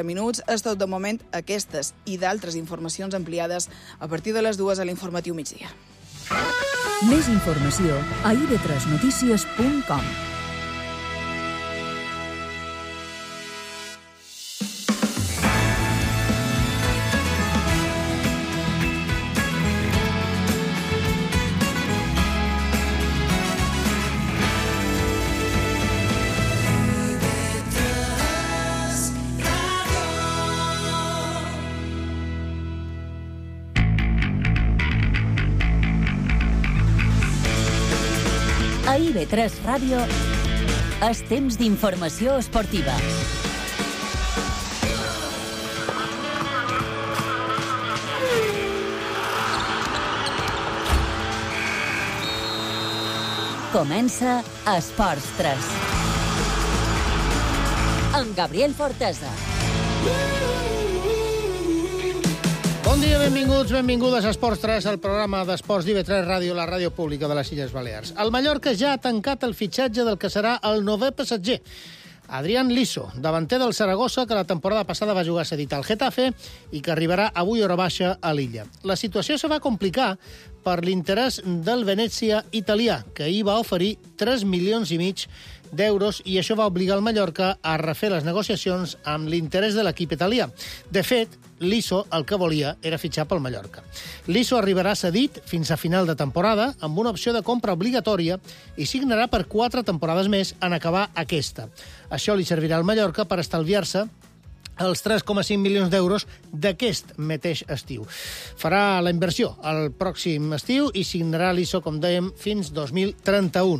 minuts. És tot de moment aquestes i d'altres informacions ampliades a partir de les 2 a l'informatiu migdia. Més informació a ib3notícies.com. A IB3 Ràdio és temps d'informació esportiva. Comença Esports 3. Amb Gabriel Fortesa. Bon dia, benvinguts, benvingudes a Esports 3, el programa d'esports d'IB3 Ràdio, la ràdio pública de les Illes Balears. El Mallorca ja ha tancat el fitxatge del que serà el 9è passatger. Adrián Liso, davanter del Saragossa, que la temporada passada va jugar cedit al Getafe i que arribarà avui hora baixa a l'illa. La situació se va complicar per l'interès del Venezia italià, que ahir va oferir 3,5 milions d'euros i això va obligar el Mallorca a refer les negociacions amb l'interès de l'equip italià. De fet, Liso el que volia era fitxar pel Mallorca. Liso arribarà cedit fins a final de temporada amb una opció de compra obligatòria i signarà per 4 temporades més en acabar aquesta. Això li servirà al Mallorca per estalviar-se els 3,5 milions d'euros d'aquest mateix estiu. Farà la inversió el pròxim estiu i signarà l'ISO, com dèiem, fins 2031.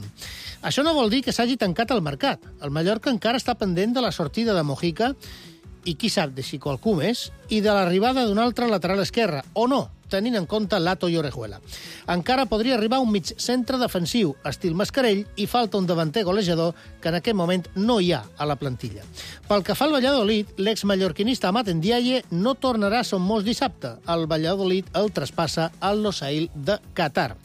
Això no vol dir que s'hagi tancat el mercat. El Mallorca encara està pendent de la sortida de Mojica i qui sap de si qualcú més, i de l'arribada d'un altre lateral esquerre, o no, tenint en compte Lato i Orejuela. Encara podria arribar un mig centre defensiu, estil Mascarell, i falta un davanter golejador que en aquest moment no hi ha a la plantilla. Pel que fa al Valladolid, l'ex-mallorquinista Amat Ndiaye no tornarà a Somos dissabte. El Valladolid el traspassa al Losail de Qatar.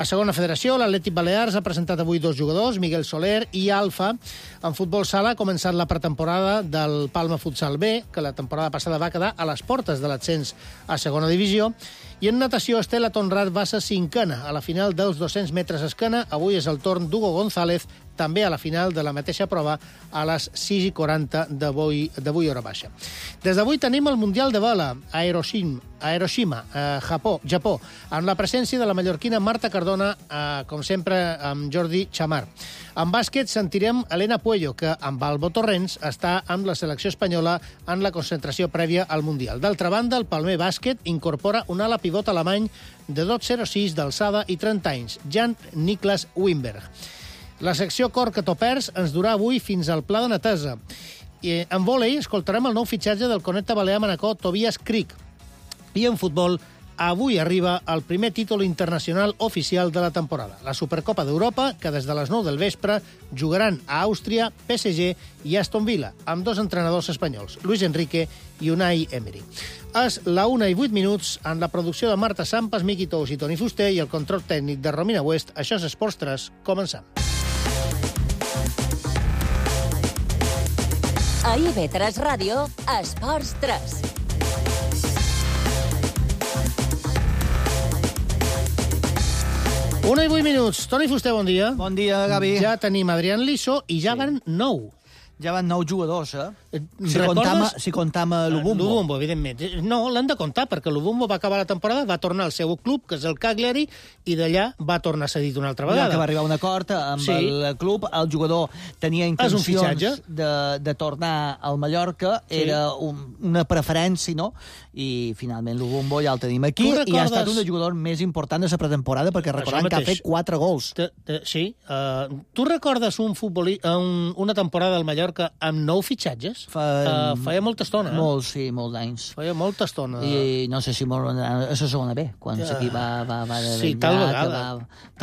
A segona federació, l'Atlètic Balears ha presentat avui 2 jugadors, Miguel Soler i Alfa. En futbol sala ha començat la pretemporada del Palma Futsal B, que la temporada passada va quedar a les portes de l'ascens a segona divisió. I en natació, Estela Tonrat va ser 5a a la final dels 200 metres esquena. Avui és el torn d'Hugo González, també a la final de la mateixa prova a les 6:40 d'avui hora baixa. Des d'avui tenim el Mundial de Vela a Hiroshima, Japó, amb la presència de la mallorquina Marta Cardona, com sempre amb Jordi Chamar. En bàsquet sentirem Elena Puello, que amb Albo Torrents està amb la selecció espanyola en la concentració prèvia al Mundial. D'altra banda, el Palmer Bàsquet incorpora un ala pivot alemany de 2,06 d'alçada i 30 anys, Jan-Niklas Wimberg. La secció Corca-Topers ens durà avui fins al Pla de Natesa. I en vòlei escoltarem el nou fitxatge del Conecta Balear Manacor, Tobias Krieg. I en futbol, avui arriba el primer títol internacional oficial de la temporada, la Supercopa d'Europa, que des de les 9 del vespre jugaran a Àustria, PSG i Aston Villa, amb 2 entrenadors espanyols, Luis Enrique i Unai Emery. És la 1:08 en la producció de Marta Sampas, Miqui Tous i Toni Fuster i el control tècnic de Romina West. Això és Esports 3. Comencem. A IB3 Ràdio, Esports 3. Una i 8 minuts. Toni Fuster, bon dia. Bon dia, Gavi. Ja tenim Adrián Liso i ja van 9. Ja van 9 jugadors, Recordes? Si comptam l'Ubumbo. L'Ubumbo, evidentment. No, l'han de comptar, perquè l'Ubumbo va acabar la temporada, va tornar al seu club, que és el Cagliari, i d'allà va tornar cedit una altra vegada. Ja que va arribar a un acord amb el club, el jugador tenia intencions de tornar al Mallorca, era una preferència, no? I finalment l'Ubumbo ja el tenim aquí, i ha estat un dels jugadors més importants de la pretemporada, perquè recordem que ha fet 4 gols. Sí. Tu recordes una temporada al Mallorca amb 9 fitxatges? Feia molta estona. Molts d'anys. Feia molta estona. I no sé si molt a la segona B, quan l'equip va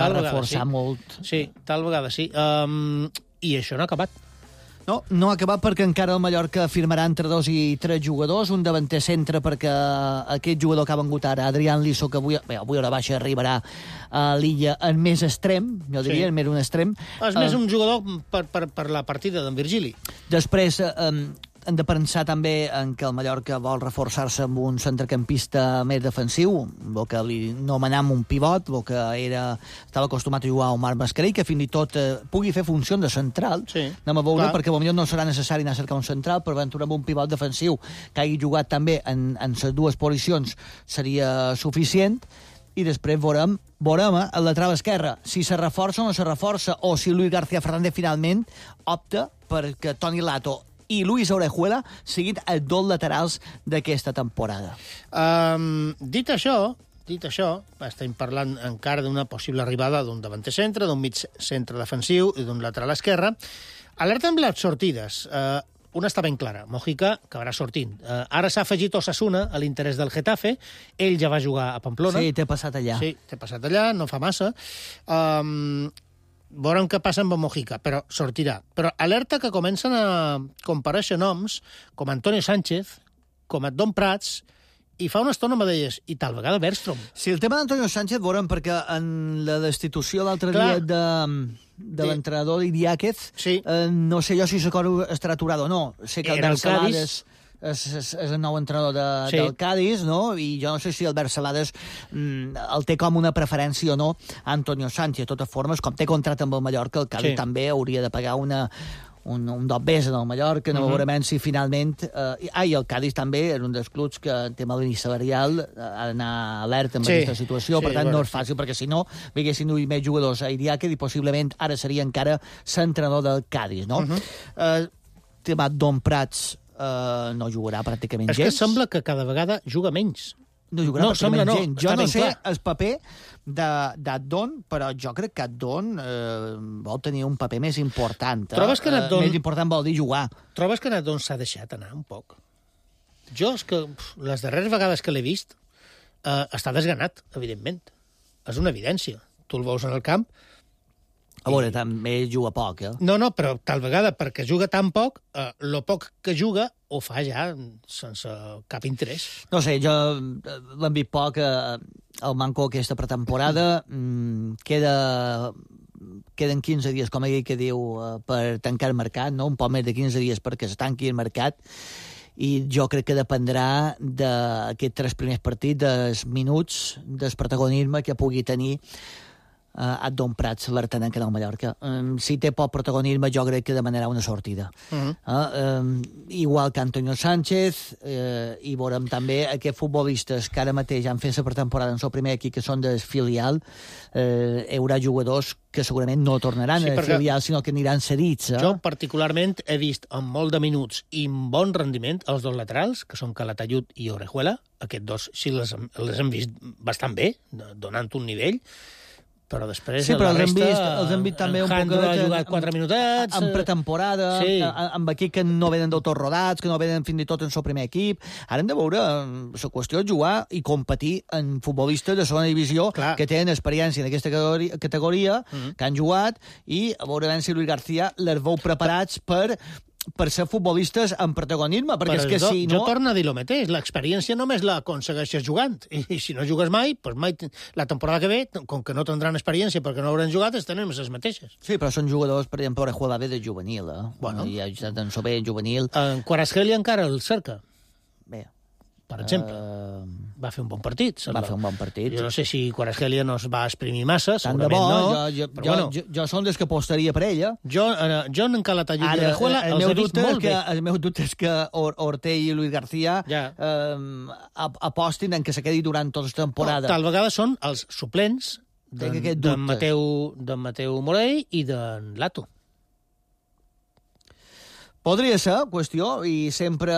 reforçar molt. Sí, tal vegada sí. I això no ha acabat. No ha acabat perquè encara el Mallorca firmarà entre 2 i 3 jugadors, un davanter centre perquè aquest jugador que ha vengut ara, Adrián Liso, que avui hora baixa arribarà a l'illa en més extrem, jo diria, en més un extrem. És més un jugador per la partida d'en Virgili. Després, hem de pensar també en que el Mallorca vol reforçar-se amb un centrecampista més defensiu, el que li anomenam un pivot, el que estava acostumat a jugar a Omar Mascarell, que fins i tot pugui fer funció de central. Sí, anem a veure, perquè potser no serà necessari anar a cercar un central, però aventurar amb un pivot defensiu que hagi jugat també en les dues posicions seria suficient. I després veurem el lateral esquerre, si se reforça o no se reforça, o si Luis García Fernández finalment opta perquè Toni Lato i Luis Orejuela siguin els dos laterals d'aquesta temporada. Dit això, estem parlant encara d'una possible arribada d'un davanter centre, d'un mig centre defensiu i d'un lateral esquerre. Alerta amb les sortides. Una està ben clara, Mojica acabarà sortint. Ara s'ha afegit Osasuna a l'interès del Getafe, ell ja va jugar a Pamplona. Sí, t'he passat allà. Sí, t'he passat allà, no fa massa. Veurem què passa amb Mojica, però sortirà. Però alerta que comencen a comparèixer noms com Antonio Sánchez, com Don Prats, i fa una estona me deies, i tal vegada Bergström. Sí, el tema d'Antonio Sánchez, veurem, perquè en la destitució l'altre dia de l'entrenador Idiáquez, no sé jo si l'acord estarà aturat o no. Sé que el Bersalades és el nou entrenador del Cádiz, no? I jo no sé si el Bersalades el té com una preferència o no a Antonio Sánchez. De totes formes, com té contracte amb el Mallorca, el Cádiz també hauria de pagar un dos bes en el Mallorca, no veurem si finalment... I el Cádiz també és un dels clubs que en tema línia salarial ha d'anar alerta amb aquesta situació, per tant no és fàcil, perquè si no vinguessin més jugadors a Idiáquez i possiblement ara seria encara l'entrenador del Cádiz, no? Tema Don Prats no jugarà pràcticament gens. És que sembla que cada vegada juga menys. No jugarà pràcticament gens. Jo no sé el paper d'Adon, però jo crec que Adon vol tenir un paper més important. Trobes que Adon... Més important vol dir jugar. Trobes que Adon s'ha deixat anar un poc? Jo, és que les darreres vegades que l'he vist està desganat, evidentment. És una evidència. Tu el veus en el camp. A veure, també juga poc, No, però tal vegada, perquè juga tan poc, lo poc que juga ho fa ja sense cap interès. No sé, jo l'hem vist poc al Manco aquesta pretemporada. Queden 15 dies, com ell que diu, per tancar el mercat, no? Un poc més de 15 dies perquè es tanqui el mercat. I jo crec que dependrà d'aquests 3 primers partits, dels minuts, del protagonisme que pugui tenir Don Prats, l'artenent que del Mallorca. Si té poc protagonisme, jo crec que demanarà una sortida. Igual que Antonio Sánchez, i veurem també aquests futbolistes que ara mateix han fet la pretemporada en el primer equip, que són del filial. Hi haurà jugadors que segurament no tornaran al filial, sinó que aniran cedits. Jo particularment he vist amb molt de minuts i amb bon rendiment els dos laterals, que són Calatayud i Orejuela. Aquests dos sí les hem vist bastant bé, donant un nivell, però després la resta... els hem vist també un poc... Jandro ha jugat 4 minutets... En pretemporada, amb equips que no venen del tot rodats, que no venen fins i tot en el primer equip. Ara hem de veure la qüestió de jugar i competir en futbolistes de segona divisió que tenen experiència en aquesta categoria, que han jugat, i a veure si Luis García les veu preparats per ser futbolistes amb protagonisme, perquè és que si no... Jo torno a dir el mateix, l'experiència només l'aconsegueixes jugant, i si no jugues mai, doncs mai, la temporada que ve, com que no tindran experiència perquè no hauran jugat, tenen les mateixes. Sí, però són jugadors, per exemple, Orejuela ve de juvenil, Bueno. I ha jugat en Sober juvenil. En Kvaratskhelia encara el cerca. Bé. Per exemple, va fer un bon partit. Va fer un bon partit. Jo no sé si Kvaratskhelia no es va exprimir massa, tant segurament no. Jo som des que apostaria per ella. Jo en Calatayud i Orejuela els he vist molt bé. El meu dubte és que Ortell i Luis García apostin en que se quedi durant tota la temporada. Tal vegada són els suplents d'en Mateu Morell i d'en Lato. Podria ser, qüestió, i sempre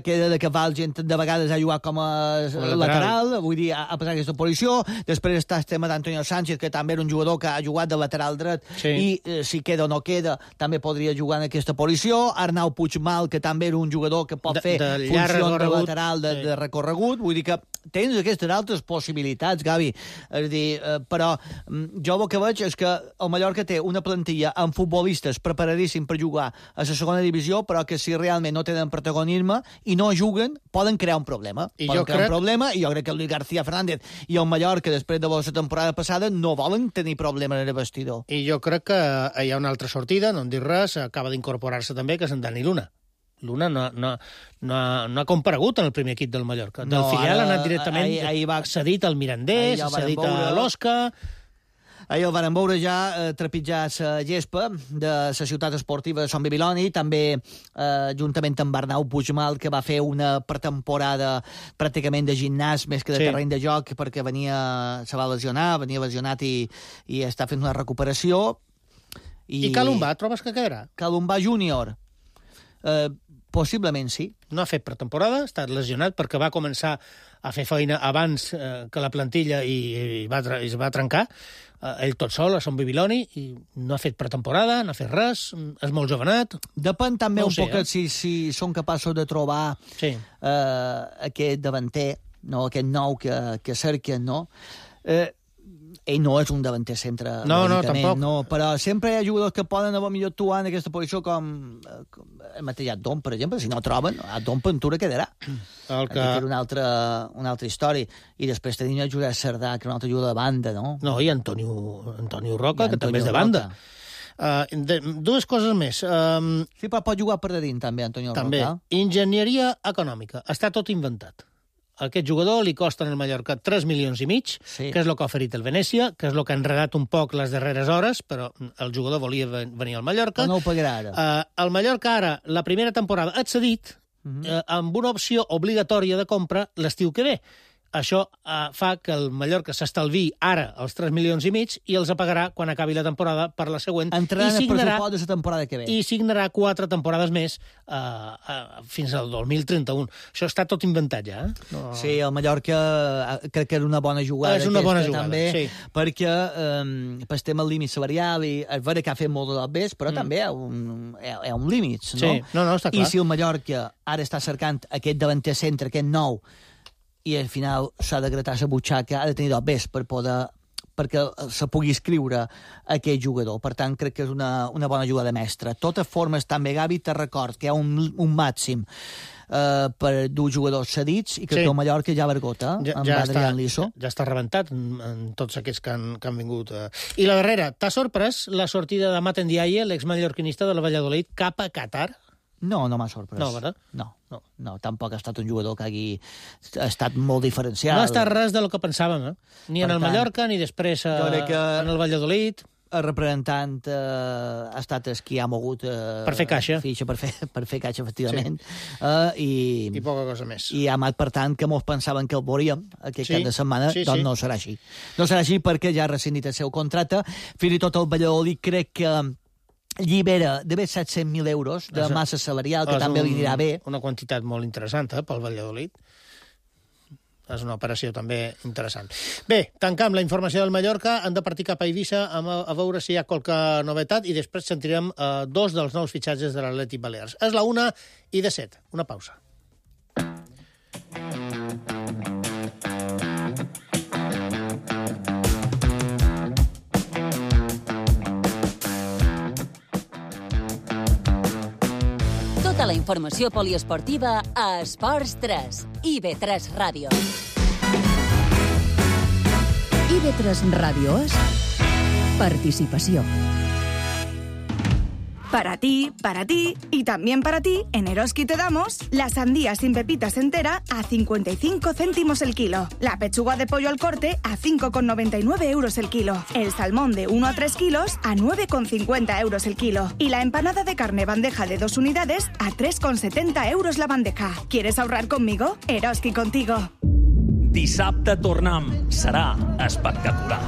queda de que val gent de vegades a jugar com a lateral, vull dir, a passar aquesta posició. Després està el tema d'Antonio Sánchez, que també era un jugador que ha jugat de lateral dret, i si queda o no queda, també podria jugar en aquesta posició. Arnau Puigmal, que també era un jugador que pot fer funció de lateral de recorregut. Vull dir que tens aquestes altres possibilitats, Gavi. És dir, però jo el que veig és que el Mallorca té una plantilla amb futbolistes preparadíssims per jugar a la segona divisió, però que si realment no tenen protagonisme i no juguen, poden crear un problema. I jo crec que Luis García Fernández i el Mallorca, després de la temporada passada, no volen tenir problemes en el vestidor. I jo crec que hi ha una altra sortida, no en dic res, acaba d'incorporar-se també, que és en Dani Luna. Luna no ha comparegut en el primer equip del Mallorca. Del filial ha anat directament cedit al Mirandés, cedit a l'Osca... Ahir el varen veure ja trepitjar la gespa de la ciutat esportiva de Sant Bibiloni, també juntament amb Arnau Puigmal, que va fer una pretemporada pràcticament de gimnàs més que de terreny de joc, perquè se va lesionat i està fent una recuperació. I Calumbà, trobes que quedarà? Calumbà júnior. Possiblement sí. No ha fet pretemporada, ha estat lesionat perquè va començar a fer feina abans que la plantilla i es va trencar. Ell tot sol, a Sant Bibiloni, i no ha fet pretemporada, no ha fet res, és molt jovenat. Depèn també un poc si són capaços de trobar aquest davanter, aquest nou que cerquen, no? Ell no és un davanter centre. No, tampoc. No, però sempre hi ha jugadors que poden haver millor actuar en aquesta posició, com el mateix Adom, per exemple. Si no troben, Adom Ventura quedarà. Que era una altra història. I després tenim el Josep Cerdà, que és una altra ajuda de banda, no? No, i Antonio Roca, que també és de banda. Dues coses més. Sí, però pot jugar per de dins, també, Antonio Roca. També. Enginyeria econòmica. Està tot inventat. Aquest jugador li costa en el Mallorca 3,5 milions, que és el que ha oferit el Venècia, que és el que ha enredat un poc les darreres hores, però el jugador volia venir al Mallorca. Però no ho pagarà ara. El Mallorca ara, la primera temporada, ha cedit amb una opció obligatòria de compra l'estiu que ve. Això fa que el Mallorca s'estalvi ara els 3,5 milions i els apagarà quan acabi la temporada per la següent. Entrarà en el pressupost de la temporada que ve. I signarà 4 temporades més fins al 2031. Això està tot inventat ja. No. Sí, el Mallorca crec que és una bona jugada. És una bona jugada, també, sí. Perquè per tema el límit salarial, i és vera que ha fet molt de l'obès, però també hi ha un límit, no? Sí, no, està clar. I si el Mallorca ara està cercant aquest davanter centre, aquest nou, i al final s'ha de gratar la butxaca, ha de tenir d'obès perquè se pugui escriure aquest jugador. Per tant, crec que és una bona jugada mestra. De totes formes, també, Gavi, te record que hi ha un màxim per dur jugadors cedits i que el Mallorca ja vergota amb Adrián Liso. Ja està rebentat en tots aquests que han vingut. I la darrera, t'ha sorprès la sortida de Maten Diaye, l'exmallorquinista de la Valladolid, cap a Qatar? No m'ha sorprès. No, ¿verdad? No, tampoc ha estat un jugador que hagi estat molt diferencial. No ha estat res del que pensàvem, ni en el Mallorca, ni després en el Valladolid. El representant ha estat el qui ha mogut per fer caixa. Fitxa, per fer caixa, efectivament. Sí. I poca cosa més. I ha per tant, que molts pensaven que el veuríem aquest cap de setmana, doncs no serà així. No serà així perquè ja ha rescindit el seu contracte. Fins i tot el Valladolid crec que llibera d'haver 700.000 euros de massa salarial, que també li anirà bé. Una quantitat molt interessant pel Valladolid. És una operació també interessant. Bé, tancam la informació del Mallorca. Han de partir cap a Eivissa a veure si hi ha qualque novetat i després sentirem 2 dels nous fitxatges de l'Atlètic Balears. És la 1:07. Una pausa. Tota la informació poliesportiva a Esports 3, IB3 Ràdio. IB3 Ràdio és participació. Para ti y también para ti, en Eroski te damos la sandía sin pepitas entera a 55 céntimos el kilo, la pechuga de pollo al corte a 5,99 euros el kilo, el salmón de 1 a 3 kilos a 9,50 euros el kilo y la empanada de carne bandeja de 2 unidades a 3,70 euros la bandeja. ¿Quieres ahorrar conmigo? Eroski contigo. Dissabte tornem. Serà espectacular.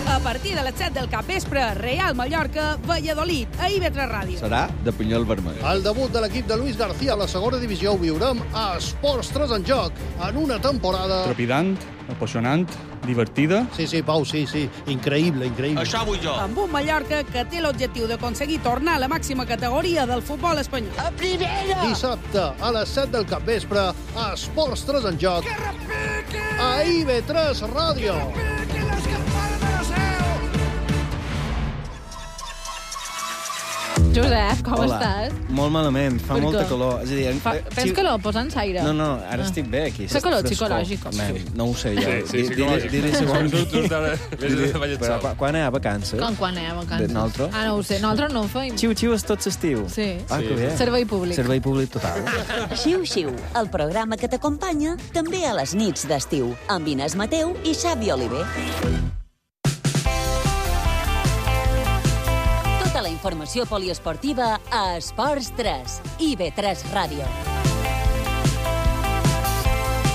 A partir de les 7 del capvespre, Real Mallorca, Valladolid, a IB3 Ràdio. Serà de pinyol vermell. El debut de l'equip de Luis García a la segona divisió ho viurem a Esports 3 en joc, en una temporada... Trepidant, apassionant, divertida. Sí, Pau, sí. Increïble. Això vull jo. Amb un Mallorca que té l'objectiu d'aconseguir tornar a la màxima categoria del futbol espanyol. A primera! Dissabte, a les 7 del capvespre, a Esports 3 en joc, a IB3 Ràdio. Josep, com estàs? Molt malament, fa molta calor. És a dir, Tens calor? Posa'ns aire. No, ara estic bé aquí. Fa calor psicològic. No ho sé jo. Sí, psicològic. Quan hi ha vacances? Quan hi ha vacances? Nosaltres? No ho sé. Nosaltres no ho feim. Xiu-xiu és tot l'estiu. Sí. Que bé. Servei públic. Servei públic total. Xiu-xiu, el programa que t'acompanya també a les nits d'estiu, amb Inés Mateu i Xavi Oliver. Tota la informació poliesportiva a Esports 3, IB3 Ràdio.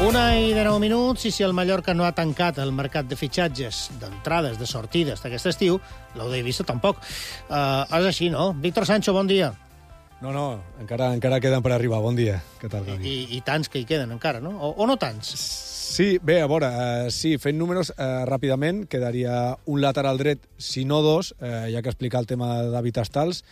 1:09, i si el Mallorca no ha tancat el mercat de fitxatges, d'entrades, de sortides d'aquest estiu, l'Eu d'Eivissa tampoc. És així, no? Víctor Sancho, bon dia. No, encara queden per arribar. Bon dia. Què tal, Gavi? I tants que hi queden encara, no? O no tants? Sí, bé, a veure, sí, fent números, ràpidament, quedaria un lateral dret, si no dos, ja que explicar el tema de David Astals,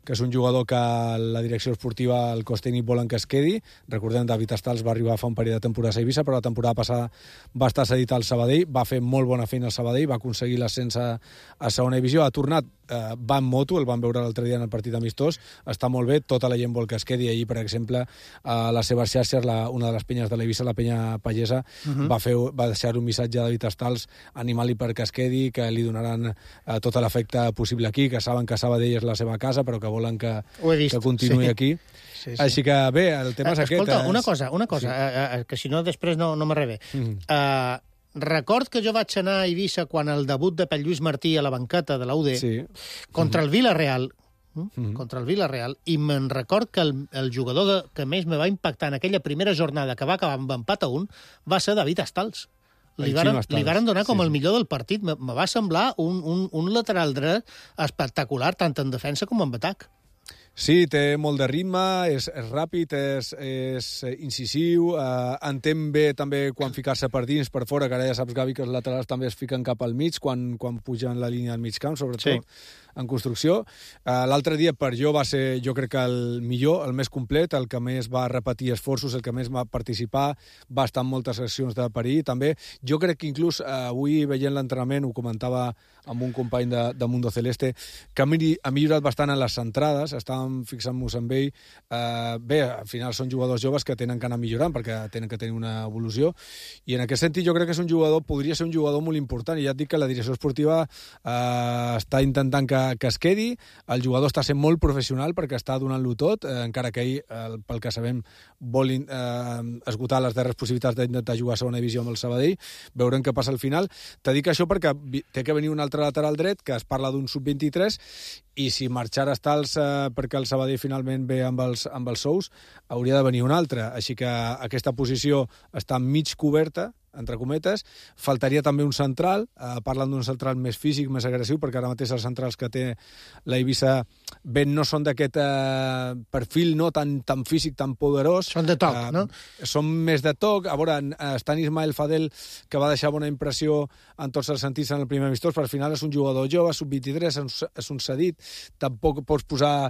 que és un jugador que la direcció esportiva, el cos tècnic, volen que es quedi. Recordem, David Astals va arribar fa un parell de temporades a Eivissa, però la temporada passada va estar cedit al Sabadell, va fer molt bona feina al Sabadell, va aconseguir l'ascens a segona divisió, ha tornat, va en moto, el van veure l'altre dia en el partit amistós, està molt bé, tota la gent vol que es quedi. Ahir, per exemple, a les seves xarxes, una de les penyes de l'Eivissa, la penya pallesa, va deixar un missatge a David Astals animant-li perquè es quedi, que li donaran tot l'efecte possible aquí, que saben que Sabadell és la seva casa, però que volen que continuï aquí. Sí. Així que, bé, el tema és aquest. Escolta, una cosa, que si no després no m'arrebe. Record que jo vaig anar a Eivissa quan el debut de Pell Lluís Martí a la banqueta de la UD contra el Villarreal, i me'n record que el jugador que més me va impactar en aquella primera jornada, que va acabar amb empat a 1, va ser David Astals. Li varen donar com el millor del partit. Me va semblar un lateral dret espectacular, tant en defensa com en atac. Sí, té molt de ritme, és ràpid, és incisiu, entén bé també quan ficar-se per dins, per fora, que ara ja saps, Gavi, que els laterals també es fiquen cap al mig quan pugen la línia del mig camp, sobretot en construcció. L'altre dia per jo va ser, jo crec que el millor, el més complet, el que més va repetir esforços, el que més va participar, va estar en moltes accions de perill, també. Jo crec que inclús avui veient l'entrenament, ho comentava amb un company de Mundo Celeste, que ha millorat bastant en les centrades, estàvem fixant-nos amb ell. Bé, al final són jugadors joves que tenen que anar millorant perquè tenen que tenir una evolució, i en aquest sentit jo crec que és un jugador, podria ser un jugador molt important, i ja et dic que la direcció esportiva està intentant que es quedi. El jugador està sent molt professional perquè està donant-lo tot, encara que ell, pel que sabem, vol esgotar les darreres possibilitats d'intentar jugar a segona divisió amb el Sabadell. Veurem què passa al final. Te dic això perquè té que venir un altre lateral dret, que es parla d'un sub-23, i si marxar Astals perquè el Sabadell finalment ve amb els sous, hauria de venir un altre. Així que aquesta posició està mig coberta, entre cometes. Faltaria també un central, parlant d'un central més físic, més agressiu, perquè ara mateix els centrals que té l'Eivissa ben no són d'aquest perfil no tan físic, tan poderós. Són de toc, no? Són més de toc. A veure, està Ismael Fadel, que va deixar bona impressió en tots els sentits en el primer amistós, però al final és un jugador jove, sub-23, és un cedit, tampoc pots posar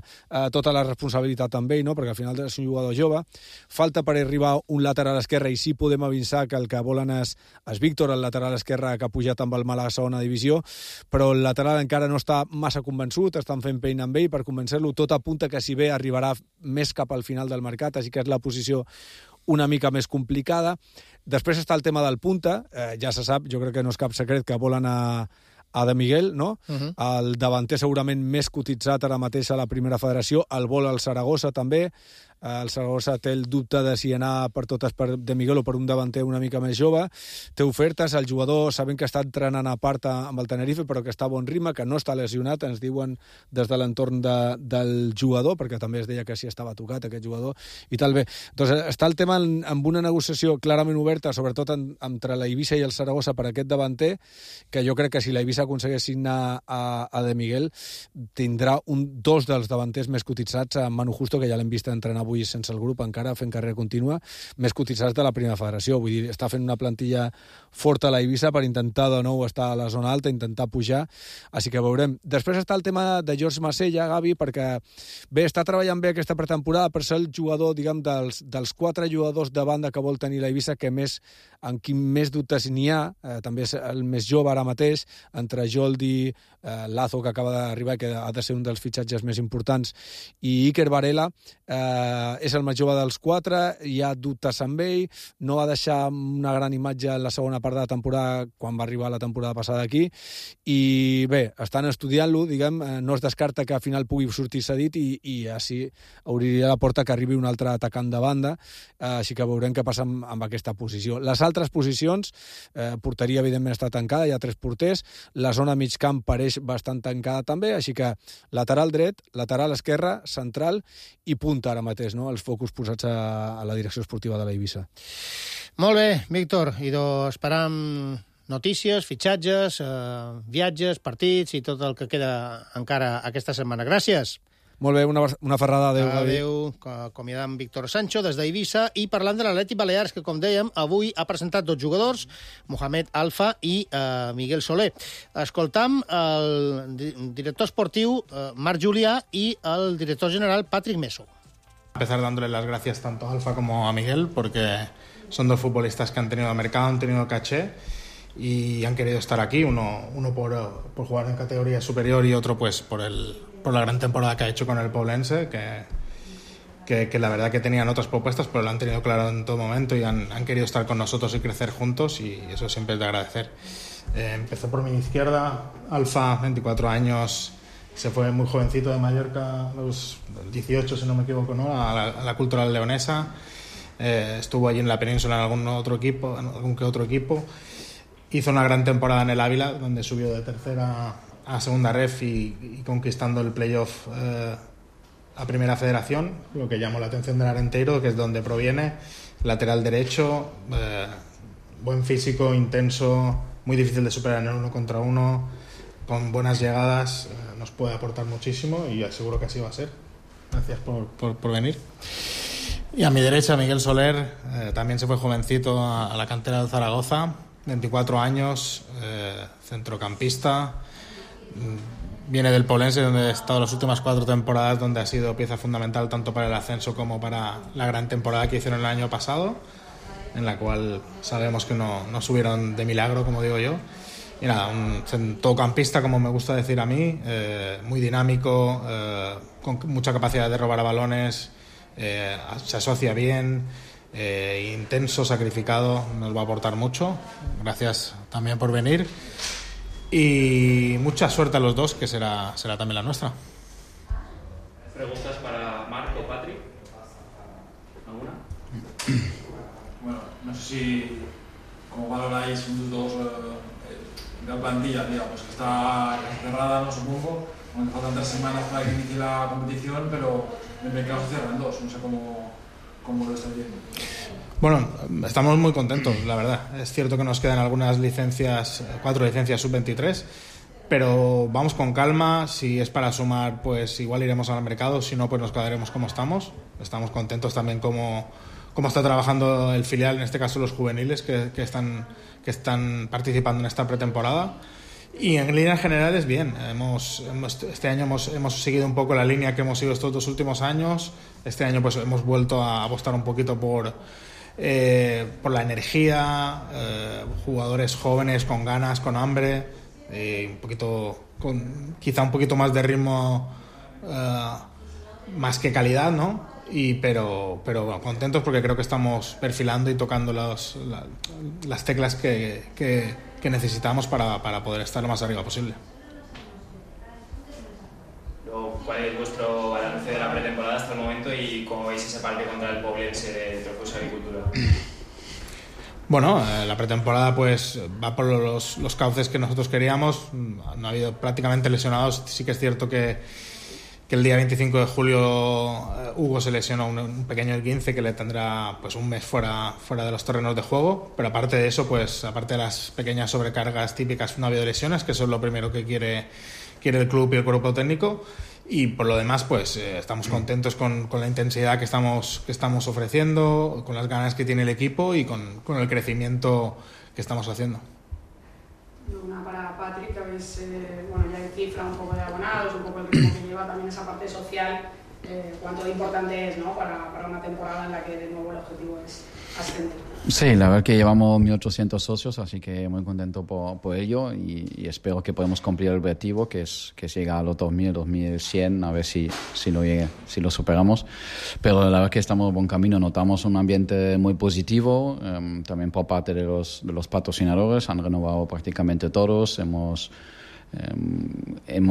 tota la responsabilitat amb ell, no? Perquè al final és un jugador jove. Falta per arribar un lateral esquerre, i sí podem avançar que el que volen és Víctor, el lateral esquerre que ha pujat amb el Màlaga a segona divisió, però el lateral encara no està massa convençut, estan fent feina amb ell per convencer-lo. Tot apunta que si bé arribarà més cap al final del mercat, així que és la posició una mica més complicada. Després està el tema del punta, ja se sap, jo crec que no és cap secret que volen a De Miguel, no? El davanter segurament més cotitzat ara mateix a la primera federació, el vol al Saragossa també. El Saragossa té el dubte de si anar per totes per De Miguel o per un davanter una mica més jove. Té ofertes, el jugador sabem que està entrenant a part amb el Tenerife, però que està a bon ritme, que no està lesionat, ens diuen des de l'entorn del jugador, perquè també es deia que sí estava tocat aquest jugador, i tal bé. Doncs està el tema amb una negociació clarament oberta, sobretot entre l'Eivissa i el Saragossa per aquest davanter, que jo crec que si l'Eivissa aconsegueix signar a De Miguel, tindrà dos dels davanters més cotitzats, a Manu Justo, que ja l'hem vist entrenar avui sense el grup encara, fent carrera contínua, més cotitzats de la primera federació. Vull dir, està fent una plantilla forta a la Eivissa per intentar de nou estar a la zona alta, intentar pujar, així que veurem. Després està el tema de George Masella, Gavi, perquè bé, està treballant bé aquesta pretemporada per ser el jugador, diguem, dels 4 jugadors de banda que vol tenir la Eivissa, que en qui més dubtes n'hi ha, també és el més jove ara mateix, entre Joldi, Lazo, que acaba d'arribar, que ha de ser un dels fitxatges més importants, i Iker Varela, és el més jove dels 4, hi ha dubtes amb ell, no va deixar una gran imatge en la segona part de la temporada, quan va arribar la temporada passada aquí, i bé, estan estudiant-lo, diguem, no es descarta que al final pugui sortir cedit i així obriria la porta que arribi un altre atacant de banda, així que veurem què passa amb aquesta posició. Les altres posicions, porteria evidentment està tancada, hi ha 3 porters, la zona mig camp pareix bastant tancada també, així que lateral dret, lateral esquerra, central i punta ara mateix, no? Els focus posats a la direcció esportiva de la Eivissa. Molt bé, Víctor, esperam notícies, fitxatges, viatges, partits i tot el que queda encara aquesta setmana. Gràcies. Molt bé, una ferrada. Adéu. Adéu. Acomiadam Víctor Sancho des d'Eivissa i parlant de l'Atlètic Balears, que, com dèiem, avui ha presentat 2 jugadors, Mohamed Alfa i Miguel Soler. Escoltam el director esportiu Marc Julià i el director general Patrick Meso. Empezar dándole las gracias tanto a Alfa como a Miguel, porque son 2 futbolistas que han tenido mercado, han tenido caché y han querido estar aquí, uno por jugar en categoría superior y otro pues por la gran temporada que ha hecho con el Poblense, que la verdad que tenían otras propuestas, pero lo han tenido claro en todo momento y han querido estar con nosotros y crecer juntos, y eso siempre es de agradecer. Empezó por mi izquierda, Alfa, 24 años, se fue muy jovencito de Mallorca, a los 18 si no me equivoco, ¿no? a la Cultural Leonesa, estuvo allí en la península en algún que otro equipo. Hizo una gran temporada en el Ávila, donde subió de tercera a segunda ref y conquistando el playoff a primera federación, lo que llamó la atención del Arenteiro, que es donde proviene, lateral derecho, buen físico, intenso, muy difícil de superar en el 1 contra 1, con buenas llegadas, nos puede aportar muchísimo y seguro que así va a ser. Gracias por venir. Y a mi derecha, Miguel Soler, también se fue jovencito a la cantera de Zaragoza, 24 años, centrocampista, viene del Poblense, donde ha estado las últimas 4 temporadas, donde ha sido pieza fundamental tanto para el ascenso como para la gran temporada que hicieron el año pasado, en la cual sabemos que no subieron de milagro, como digo yo. Y nada, un centrocampista, como me gusta decir a mí, muy dinámico, con mucha capacidad de robar a balones, se asocia bien, intenso, sacrificado, nos va a aportar mucho. Gracias también por venir y mucha suerte a los dos, que será también la nuestra. ¿Preguntas para Marc o Patrick? ¿Alguna? Bueno, no sé si cómo valoráis un dos la plantilla, digamos, que está cerrada, no supongo, aunque faltan 3 semanas para que inicie la competición, pero el mercado se cierra en 2, no sé cómo lo estáis viendo. Bueno, estamos muy contentos, la verdad. Es cierto que nos quedan algunas licencias, 4 licencias sub-23, pero vamos con calma. Si es para sumar, pues igual iremos al mercado, si no, pues nos quedaremos como estamos. Estamos contentos también como está trabajando el filial, en este caso los juveniles que están participando en esta pretemporada. Y en líneas generales, bien. Este año hemos seguido un poco la línea que hemos seguido estos 2 últimos años. Este año pues hemos vuelto a apostar un poquito por la energía, jugadores jóvenes con ganas, con hambre, quizá un poquito más de ritmo, más que calidad, ¿no? Pero bueno, contentos porque creo que estamos perfilando y tocando las teclas que necesitamos para poder estar lo más arriba posible. ¿Cuál es vuestro balance de la pretemporada hasta el momento y cómo veis ese partido contra el Poblense de Trofeos Agricultura? Bueno, la pretemporada pues va por los cauces que nosotros queríamos. No ha habido prácticamente lesionados. Sí que es cierto que el día 25 de julio Hugo se lesionó un pequeño esguince que le tendrá pues un mes fuera de los terrenos de juego, pero aparte de eso, pues aparte de las pequeñas sobrecargas típicas, no ha habido lesiones, que eso es lo primero que quiere el club y el cuerpo técnico, Y por lo demás, pues estamos contentos con la intensidad que estamos ofreciendo, con las ganas que tiene el equipo y con el crecimiento que estamos haciendo. Una para Patrick, que habéis, ya en cifra un poco de abonados, un poco el ritmo que lleva también esa parte social, cuánto de importante es, ¿no?, para una temporada en la que de nuevo el objetivo es ascender. Sí, la verdad que llevamos 1.800 socios, así que muy contento por ello y espero que podamos cumplir el objetivo, que es llegar a los 2.000, 2.100, a ver si lo superamos. Pero la verdad que estamos en buen camino, notamos un ambiente muy positivo, también por parte de los patrocinadores, han renovado prácticamente todos, hemos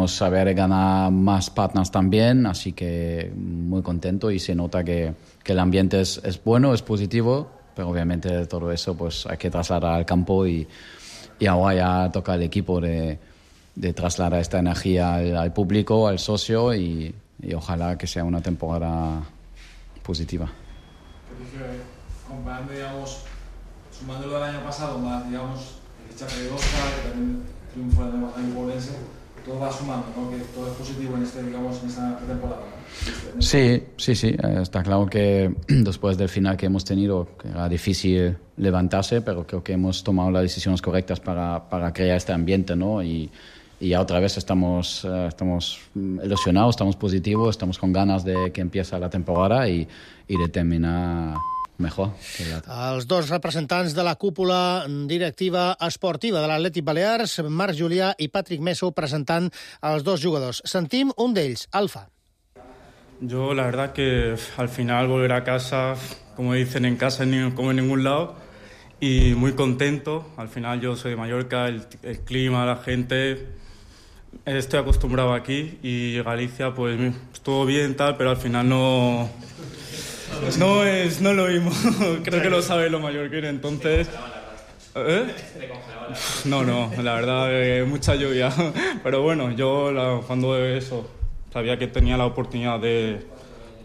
saber ganar más partners también, así que muy contento y se nota que el ambiente es bueno, es positivo, pero obviamente todo eso pues hay que trasladar al campo y ahora ya toca al equipo de trasladar esta energía al público, al socio y ojalá que sea una temporada positiva. Comparando, digamos, sumándolo del año pasado, más, digamos, el fichaje de Oscar, que también triunfo de Baja Polense, todo va sumando, ¿no? Que todo es positivo en esta temporada, ¿no? Sí, está claro que después del final que hemos tenido, que era difícil levantarse, pero creo que hemos tomado las decisiones correctas para crear este ambiente, ¿no? Y ya otra vez estamos ilusionados, estamos positivos, estamos con ganas de que empiece la temporada y de terminar mejor. Els dos representants de la cúpula directiva esportiva de l'Atlètic Balears, Marc Julià i Patrick Meso, presentant els dos jugadors. Sentim un d'ells, Alfa. Yo la verdad que al final volver a casa, como dicen, en casa como en ningún lado, y muy contento. Al final yo soy de Mallorca, el clima, la gente, estoy acostumbrado aquí y Galicia pues estuvo bien tal, pero al final no es lo mismo. Creo que lo sabe lo mallorquín, entonces... No, la verdad, mucha lluvia. Pero bueno, yo cuando eso sabía que tenía la oportunidad de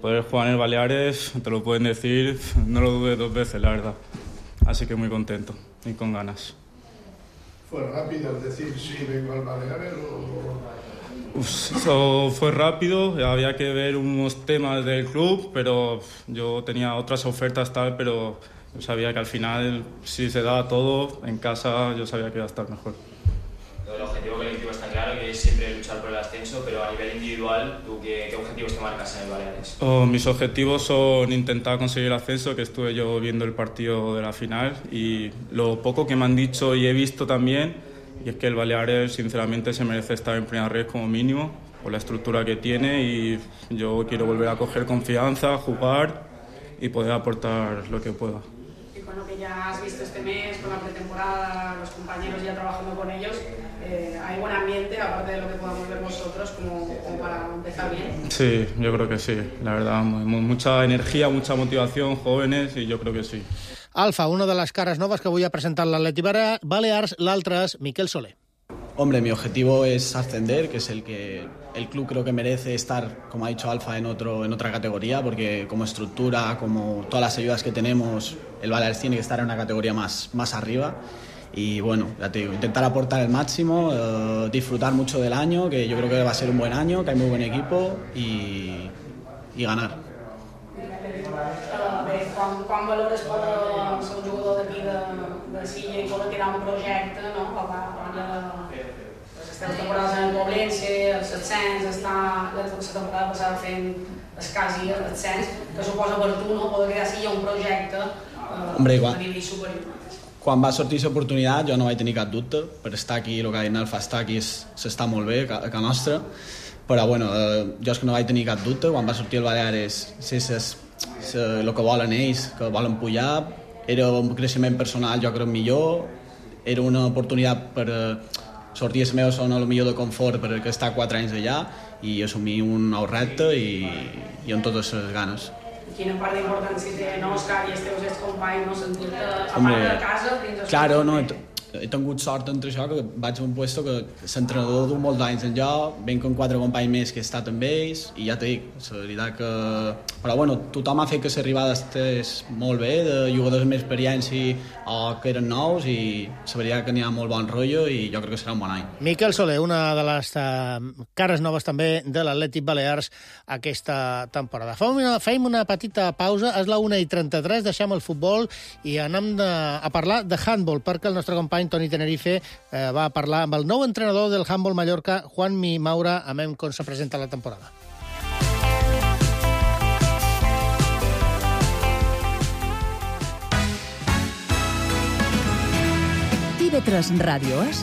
poder jugar en el Baleares, te lo pueden decir, no lo dudé dos veces, la verdad. Así que muy contento y con ganas. ¿Fue rápido decir sí, vengo al Baleares Fue rápido, había que ver unos temas del club, pero yo tenía otras ofertas tal, pero yo sabía que al final, si se daba todo en casa, yo sabía que iba a estar mejor. El objetivo colectivo está claro, que es siempre luchar por el ascenso, pero a nivel individual, ¿tú qué objetivos te marcas en el Baleares? Mis objetivos son intentar conseguir el ascenso, que estuve yo viendo el partido de la final, y lo poco que me han dicho y he visto también, y es que el Baleares sinceramente se merece estar en primera red como mínimo, por la estructura que tiene, y yo quiero volver a coger confianza, jugar y poder aportar lo que pueda. Y con lo que ya has visto este mes, con la pretemporada, los compañeros ya trabajando con ellos, ¿hay buen ambiente, aparte de lo que podamos ver vosotros, como para empezar bien? Sí, yo creo que sí, la verdad, mucha energía, mucha motivación, jóvenes, y yo creo que sí. Alfa, una de las caras nuevas que voy a presentar l'Atlètic Balears, l'altre es Miquel Soler. Hombre, mi objetivo es ascender, que es el que el club creo que merece estar, como ha dicho Alfa, en otra categoría, porque como estructura, como todas las ayudas que tenemos, el Baleares tiene que estar en una categoría más arriba. Y bueno, ya te digo, intentar aportar el máximo, disfrutar mucho del año, que yo creo que va a ser un buen año, que hay muy buen equipo y ganar. Quan valores ser un jugador d'aquí de Silla i poder tirar un projecte, no? Les temporades en el Poblense, el Setsens, la temporada passada fent quasi el Sens, que suposa per tu, no? Poder crear Silla un projecte a nivell superior. Quan va sortir aquesta oportunitat jo no vaig tenir cap dubte, per estar aquí, el que ha dit Alfa, estar aquí s'està molt bé, a nostra, però bueno, jo és que no vaig tenir cap dubte, quan va sortir el Baleares, el que volen ells, que volen pujar, era un creixement personal jo crec millor, era una oportunitat per sortir a la meva zona millor de confort per estar 4 anys allà i assumir un nou repte i amb totes les ganes. Quina part d'importància té Òscar i els teus companys, no sentir-te a part de casa dins el... Claro, no, He tingut sort entre això, que vaig a un puesto que l'entrenador du molts anys en lloc, venc amb 4 companys més que he estat amb ells, i ja t'he dit, la veritat que... Però bueno, tothom ha fet que l'arribada estés molt bé, de jugadors amb experiència o que eren nous, i la veritat que n'hi ha molt bon rotllo i jo crec que serà un bon any. Miquel Soler, una de les cares noves també de l'Atlètic Balears aquesta temporada. Fem una petita pausa, és la 1:33, deixem el futbol i anem a parlar de handball, perquè el nostre company Toni Tenerife va parlar amb el nou entrenador del handball Mallorca, Juanmi Maura, a veure com se presenta la temporada. TV3 Ràdio és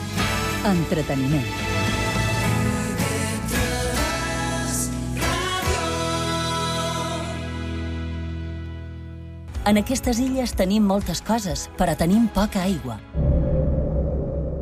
entreteniment. En aquestes illes tenim moltes coses, però tenim poca aigua.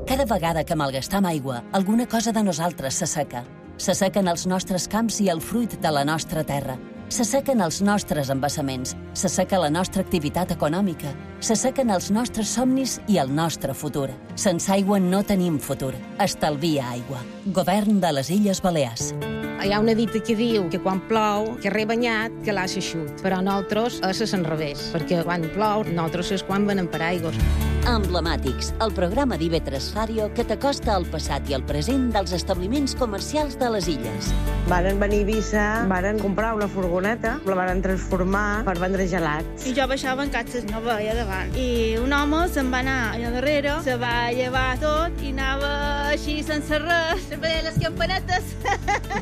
Cada vegada que malgastam aigua, alguna cosa de nosaltres s'asseca. S'assequen els nostres camps i el fruit de la nostra terra. S'assequen els nostres embassaments, s'asseca la nostra activitat econòmica, s'assequen els nostres somnis i el nostre futur. Sense aigua no tenim futur. Estalvia aigua. Govern de les Illes Balears. Hi ha una dita que diu que quan plou, que rebanyat, que l'ha eixut. Però nosaltres és l'enrevés, perquè quan plou, nosaltres és quan venem per aigües. Emblemàtics, el programa d'IV3 Ràdio que t'acosta al passat i al present dels establiments comercials de les illes. Varen venir a Eivissa, varen comprar una furgoneta, la varen transformar per vendre gelats. I jo baixava en catxes, no veia davant. I un home se'n va anar allà darrere, se va llevar tot i anava així sense res, veia les campanetes.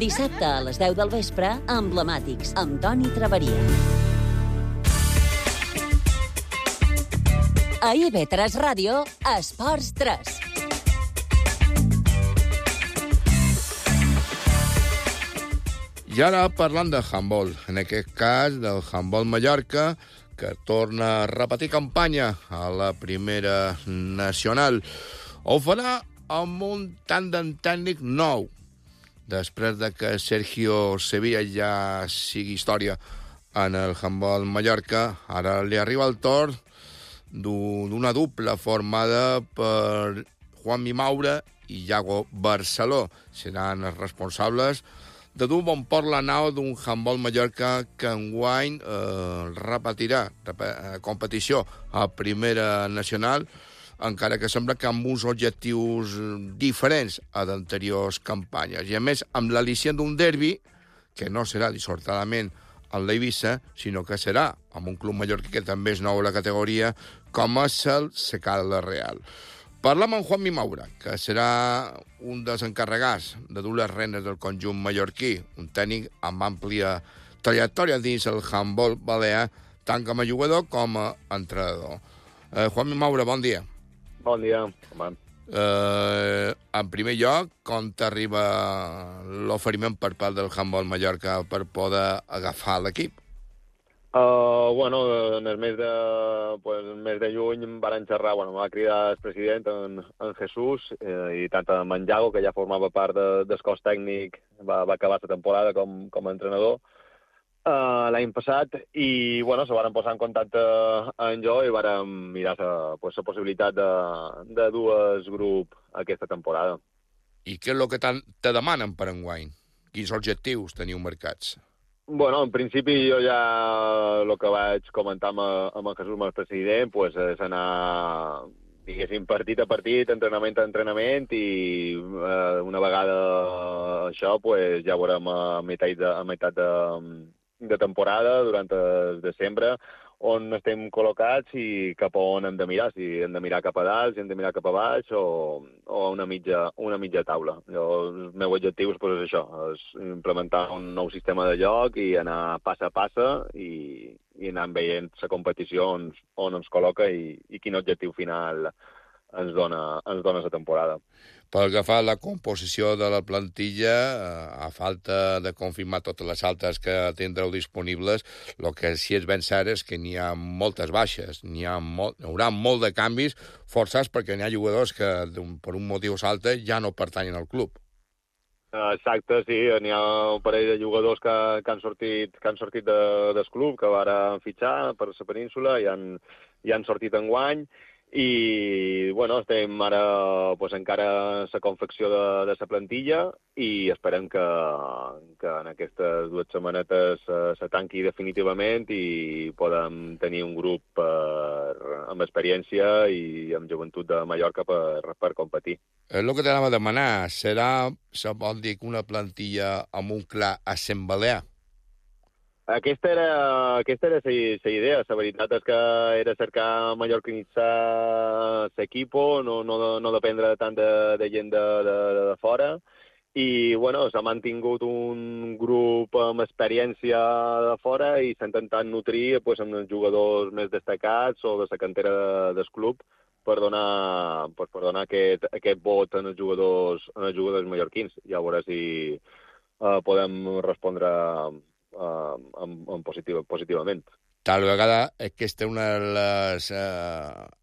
Dissabte a les 10 del vespre, Emblemàtics, amb Toni Traveria. A IB3 Ràdio, Esports 3. I ara parlant de handball, en aquest cas del handball Mallorca, que torna a repetir campanya a la primera nacional. Ho farà amb un tàndem tècnic nou, després de que Sergio Sevilla ja sigui història en el handball Mallorca. Ara li arriba el torn d'una dupla formada per Juanmi Maura i Iago Barceló. Seran els responsables de dur bon port la nau d'un handball Mallorca que enguany repetirà competició a primera nacional, encara que sembla que amb uns objectius diferents a d'anteriors campanyes. I a més, amb l'al·licient d'un derbi, que no serà dissortadament en l'Eivissa, sinó que serà amb un club mallorquí que també és nou a la categoria, com és el Secada Real. Parlam amb Juanmi Maura, que serà un dels encarregats de dur les renes del conjunt mallorquí, un tècnic amb àmplia trajectòria dins el handball balear, tant com a jugador com a entrenador. Juanmi Maura, bon dia. Bon dia, home. En primer lloc, com t'arriba l'oferiment per part del handball Mallorca per poder agafar l'equip? Bueno, en el mes de juny em van xerrar, em va cridar el president, en Jesús, i tant en Iago, que ja formava part del cos tècnic, va acabar la temporada com a entrenador l'any passat, i se van posar en contacte amb jo i van mirar la possibilitat de dur el grup aquesta temporada. I què és el que te demanen per enguany? Quins objectius teniu marcats? Bueno, en principi jo ja el que vaig comentar amb el Jesús, amb el president, és anar, diguéssim, partit a partit, entrenament a entrenament, i una vegada això ja veurem a meitat de temporada, durant el desembre, on estem col·locats i cap a on hem de mirar, si hem de mirar cap a dalt, si hem de mirar cap a baix o una mitja taula. El meu objectiu és això, és implementar un nou sistema de joc i anar passa a passa i anar veient la competició on ens col·loca i quin objectiu final ens dona la temporada. Pel que fa a la composició de la plantilla, a falta de confirmar totes les altes que tindreu disponibles, el que sí és ben cert és que n'hi ha moltes baixes, hi haurà molt de canvis forçats perquè n'hi ha jugadors que per un motiu o altre ja no pertanyen al club. Exacte, sí, n'hi ha un parell de jugadors que han sortit del club, que van fitxar per la península i han sortit enguany, I, bueno, estem ara encara a la confecció de la plantilla i esperem que en aquestes 2 setmanetes se tanqui definitivament i podem tenir un grup amb experiència i amb joventut de Mallorca per competir. És el que t'anava a demanar. Serà, se pot dir, una plantilla amb un clar accent balear? Aquesta era la idea. La veritat és que era cercar mallorquinitzar l'equipo, no dependre tant de gent de fora. I, bueno, s'ha mantingut un grup amb experiència de fora i s'ha intentat nutrir amb els jugadors més destacats o de la cantera del club per donar aquest vot en els jugadors mallorquins. I a veure si podem respondre positivament. Tal vegada aquesta és una de les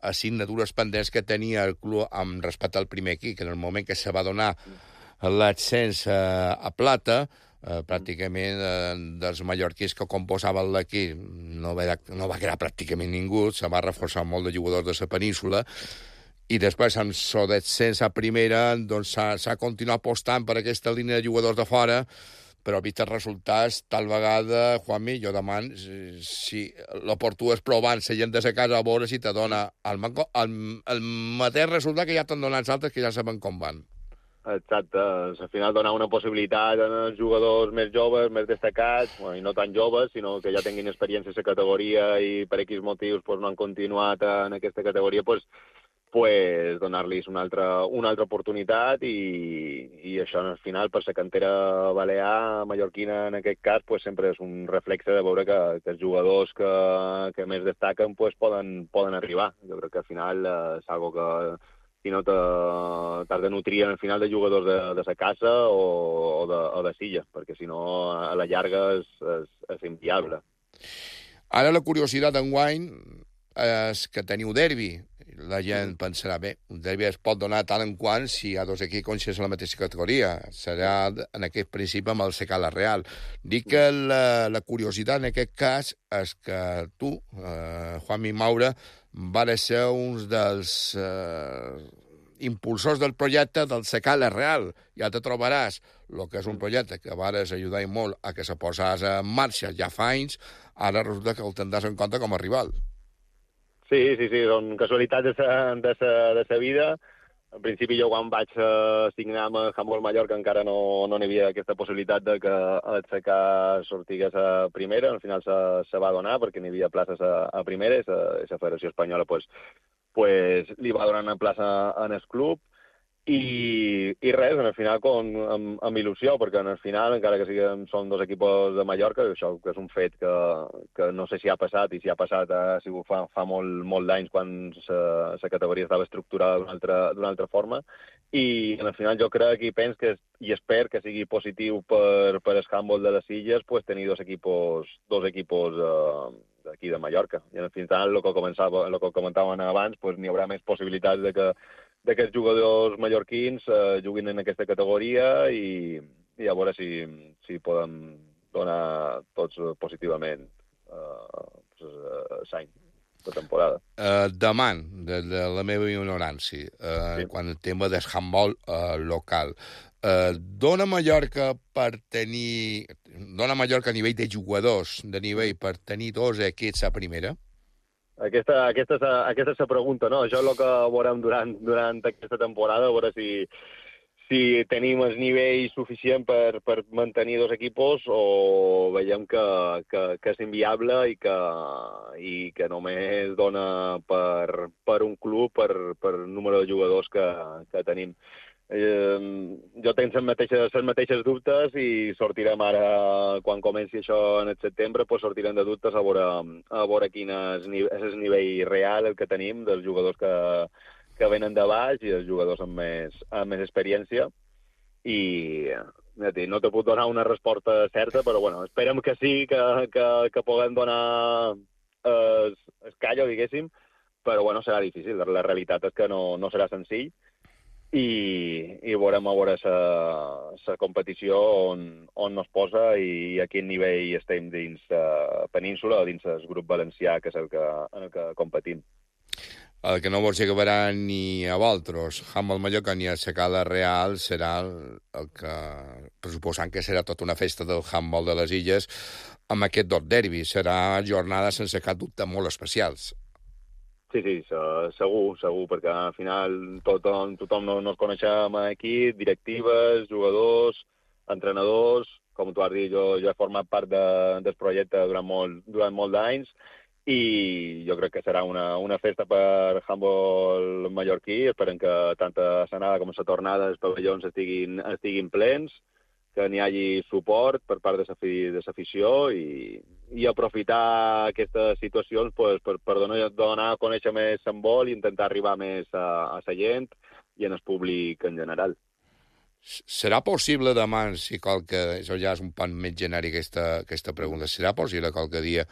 assignatures pendents que tenia el club amb respecte al primer equip, que en el moment que se va donar l'ascens a plata, pràcticament dels mallorquins que composaven l'equip no va quedar pràcticament ningú, se va reforçar molt de jugadors de la península, i després amb el descens a primera doncs s'ha continuat apostant per aquesta línia de jugadors de fora, però vist els resultats, tal vegada, Juanmi, jo demano si l'oportú és provant la gent de la casa a veure si te dona el mateix resultat que ja t'han donat els altres, que ja saben com van. Exacte, al final donar una possibilitat als jugadors més joves, més destacats, i no tan joves, sinó que ja tinguin experiència a la categoria i per X motius no han continuat en aquesta categoria, donar-los una altra oportunitat i això al final per la cantera balear, mallorquina en aquest cas, sempre és un reflexe de veure que els jugadors que més destaquen poden arribar. Jo crec que al final és algo que si no t'has de nutrir al final de jugadors de la casa o de Silla, perquè si no a la llarga és inviable. Ara la curiositat d'enguany és que teniu derbi. La gent pensarà, bé, un derbi es pot donar tant en quant si hi ha 2 equips coneixen la mateixa categoria. Serà en aquest principi amb el Secala Real. Dic que la curiositat en aquest cas és que tu, Juanmi Maura, vas ser un dels impulsors del projecte del Secala Real. Ja te trobaràs el que és un projecte que vas ajudar molt a que se posés en marxa ja fa anys, ara resulta que el tindràs en compte com a rival. Sí, són casualitats de la vida. En principi, jo quan vaig signar amb Handbol Mallorca encara no n'hi havia aquesta possibilitat de que el CK sortigués a primera. Al final se va donar perquè n'hi havia places a primera i la Federació Espanyola li va donar una plaça en el club. I res, al final amb il·lusió, perquè al final, encara que són 2 equips de Mallorca, això és un fet que no sé si ha passat, i si ha passat ha sigut fa molt d'anys quan la categoria estava estructurada d'una altra forma, i al final jo crec i penso i espero que sigui positiu per el handball de les Illes tenir 2 equipos d'aquí de Mallorca. I al final, el que comentaven abans, n'hi haurà més possibilitats de que els jugadors mallorquins juguin en aquesta categoria i a veure si podem donar tots positivament l'any de temporada. Deman, de la meva ignorància, quan el tema del handball local, dona Mallorca a nivell de jugadors, de nivell per tenir 2 equips a primera? Aquesta és la pregunta, no? Això és el que veurem durant aquesta temporada, a veure si tenim el nivell suficient per mantenir 2 equipos o veiem que és inviable i que només dona per un club, per número de jugadors que tenim. Jo tinc les mateixes dubtes i sortirem ara, quan comenci això en el setembre, sortirem de dubtes a veure quin és el nivell real el que tenim dels jugadors que venen de baix i els jugadors amb més experiència. I no te puc donar una resposta certa, però bueno, esperem que sí, que puguem donar el callo, diguéssim, però bueno, serà difícil. La realitat és que no serà senzill. I veurem a veure la competició on nos posa i a quin nivell estem dins la península o dins el grup valencià, que és en el que competim. El que no vols acabarà ni a vosaltres, Handbol Mallorca ni a Secala Real, serà el que, pressuposant que serà tota una festa del handbol de les Illes, amb aquest dos derbis. Serà jornades sense cap dubte molt especials. Sí, segur, perquè al final tothom nos coneixem aquí, directives, jugadors, entrenadors. Com tu has dit, jo he format part del projecte durant molt d'anys, i jo crec que serà una festa per handbol mallorquí. Esperem que tant a l'anada com a la tornada els pavellons estiguin plens, que n'hi hagi suport per part de l'afició i aprofitar aquestes situacions per donar a conèixer més handbol i intentar arribar més a la gent i en el públic en general. Serà possible demà, si qualque... Això ja és un punt més genèric, aquesta pregunta. Serà possible qualque dia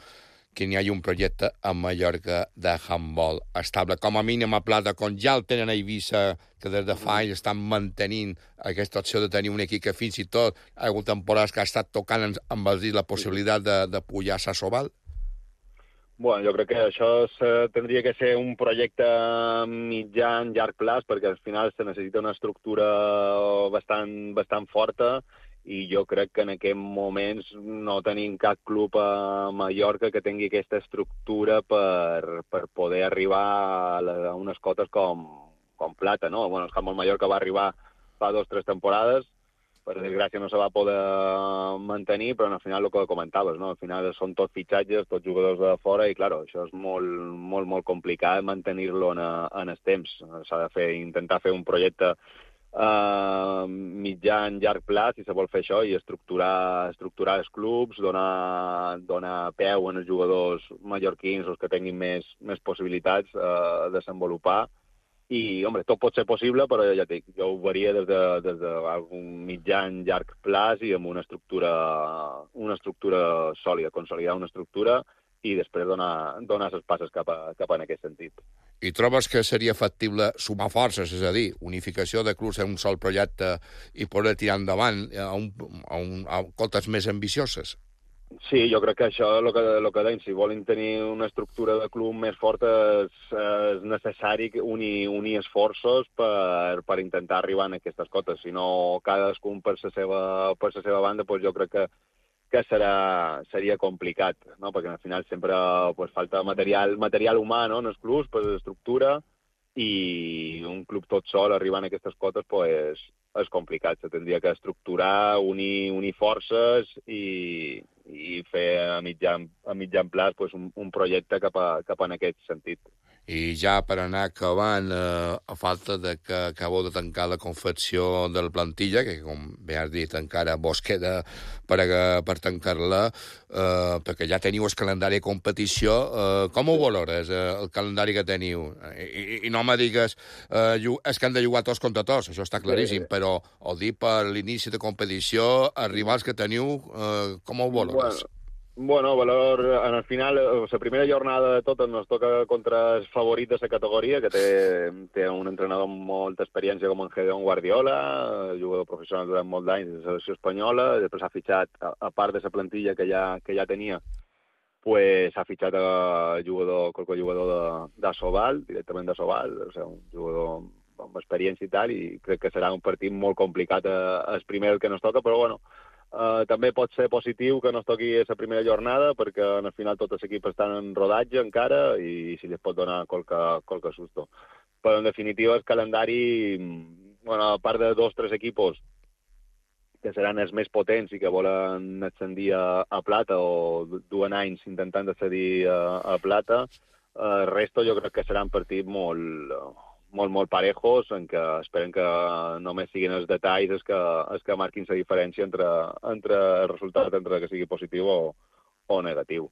que n'hi hagi un projecte a Mallorca de handbol estable, com a mínim a plata, com ja el tenen a Eivissa, que des de fa anys estan mantenint aquesta opció de tenir un equip que fins i tot ha hagut temporades que ha estat tocant amb els dits la possibilitat de pujar a Sobal? Bueno, jo crec que això tindria que ser un projecte mitjà, llarg plaç, perquè al final se necessita una estructura bastant forta, i jo crec que en aquests moments no tenim cap club a Mallorca que tingui aquesta estructura per poder arribar a unes cotes com plata, no? Bueno, el Handbol Mallorca va arribar fa 2 o 3 temporades, per desgràcia no se va poder mantenir, però al final el que comentaves, no? Al final són tots fitxatges, tots jugadors de fora, i clar, això és molt complicat mantenir-lo en el temps. S'ha de intentar fer un projecte mitjà en llarg plaç, si se vol fer això, i estructurar els clubs, donar peu als jugadors mallorquins, els que tinguin més possibilitats de desenvolupar. I, home, tot pot ser possible, però ja dic, jo ho veria des d'un mitjà en llarg plaç i amb una estructura sòlida, consolidar una estructura i després donar les passes cap en aquest sentit. I trobes que seria factible sumar forces, és a dir, unificació de clubs en un sol projecte i poder tirar endavant a cotes més ambicioses? Sí, jo crec que això és el que deim. Si volen tenir una estructura de club més forta és necessari unir esforços per intentar arribar a aquestes cotes. Si no, cadascun per la seva banda, doncs jo crec que seria complicat, no? Perquè al final sempre falta material humà, no? En els clubs, per l'estructura, i un club tot sol arribant a aquestes cotes és complicat. Se tindria que estructurar, unir forces i fer a mitjan plaç un projecte cap en aquest sentit. I ja per anar acabant, a falta que acabeu de tancar la confecció de la plantilla, que com bé has dit encara vos queda per tancar-la, perquè ja teniu el calendari de competició, com ho valores, el calendari que teniu? I no me digues és que han de jugar tots contra tots, això està claríssim, però ho dic per l'inici de competició, arribar als que teniu, com ho valores? Bueno, valor, en el final, la primera jornada de totes nos toca contra el favorit de la categoria, que té un entrenador amb molta experiència com en Gedeon Guardiola, jugador professional durant molt d'anys de la selecció espanyola, després s'ha fitxat, a part de la plantilla que ja tenia, s'ha fitxat qualque jugador d'Asobal, directament d'Asobal, o sigui, un jugador amb experiència i tal, i crec que serà un partit molt complicat el primer que nos toca, però bueno, també pot ser positiu que no es toqui la primera jornada, perquè al final tots els equips estan en rodatge encara i si les pot donar qualque susto. Però en definitiva el calendari, a part de 2 o 3 equipos que seran els més potents i que volen ascendir a plata o duen anys intentant ascendir a plata, el resto jo crec que seran partits molt parejos, en què esperen que només siguin els detalls els que marquin la diferència entre el resultat, entre que sigui positiu o negatiu.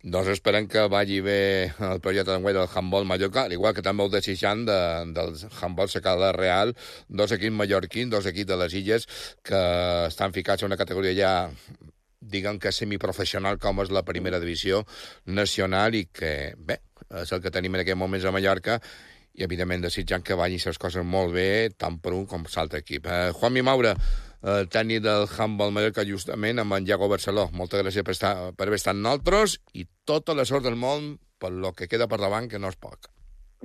Doncs esperem que vagi bé el projecte d'enguany del Handbol Mallorca, igual que també ho desitjant del Handbol Secala Real, 2 equips mallorquins, 2 equips de les Illes, que estan ficats en una categoria ja diguem que semiprofessional com és la primera divisió nacional i que, bé, és el que tenim en aquests moments a Mallorca, i evidentment desitjant que vagin les coses molt bé, tant per un com per l'altre equip. Juanmi Maura, tècnic del Handbol Mallorca, justament amb en Iago Barceló. Moltes gràcies per haver estat amb nosaltres i tota la sort del món per lo que queda per davant, que no és poc.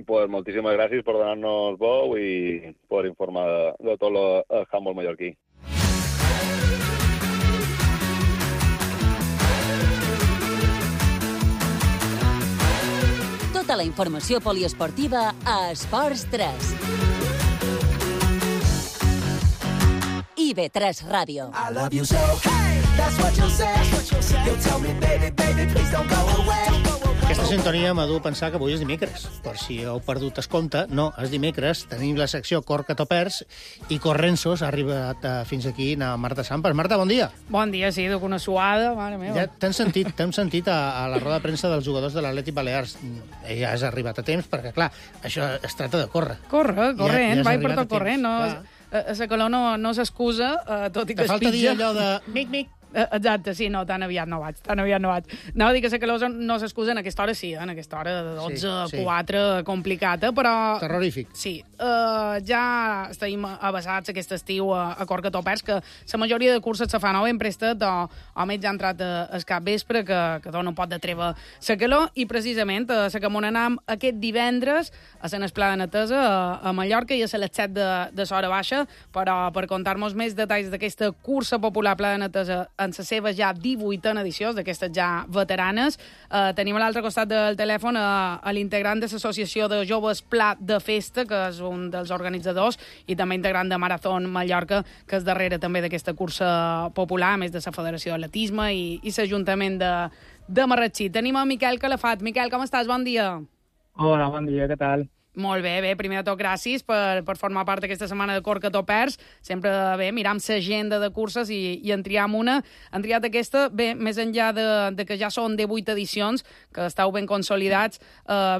pues moltíssimes gràcies per donar-nos veu i per informar de tot el handbol mallorquí. Tota la informació poliesportiva a Esports 3. IB3 Ràdio. I love you so, hey, that's what you'll say. You'll tell me, baby, baby, please don't go away. Aquesta sintonia m'ha dut a pensar que avui és dimecres. Per si heu perdut es compte, no, és dimecres. Tenim la secció Cor que t'ho perds i Corrensos ha arribat fins aquí a Marta Sampes. Marta, bon dia. Bon dia, sí, duc una suada, mare meva. Ja t'hem sentit a la roda de premsa dels jugadors de l'Atlètic Balears. Ja has arribat a temps, perquè, clar, això es tracta de córrer. Corrent, ja vaig per tot corrent. No, la calor no s'excusa, tot i que es pitja. Te falta dir allò de mic-mic. Exacte, sí, no, tan aviat no vaig. Anava a dir que la calor no s'excusa en aquesta hora, sí, en aquesta hora de 12 a 4, complicada, però... Terrorífic. Sí, ja estem avasats aquest estiu a Cor que t'ho perds, que la majoria de curses se fan o ben prestat o més ja ha entrat al cap vespre, que dona un pot de treva la calor, i precisament a la que m'on anam aquest divendres a la Esplada Netesa a Mallorca i a les 7 de l'hora baixa, però per contar-nos més detalls d'aquesta cursa popular Plada Netesa en la seva ja 18a edició, d'aquestes ja veteranes. Tenim a l'altre costat del telèfon a l'integrant de l'Associació de Joves Pla de Festa, que és un dels organitzadors, i també integrant de Marathon Mallorca, que és darrere també d'aquesta cursa popular, a més de la Federació d'Atletisme i l'Ajuntament de Marratxí. Tenim a Miquel Calafat. Miquel, com estàs? Bon dia. Hola, bon dia, què tal? Molt bé, primer de tot gràcies per formar part d'aquesta setmana de Cor que t'ho perds. Sempre bé, miram l'agenda de curses i en triam una. Han triat aquesta, bé, més enllà de que ja són 18 edicions, que estàu ben consolidats,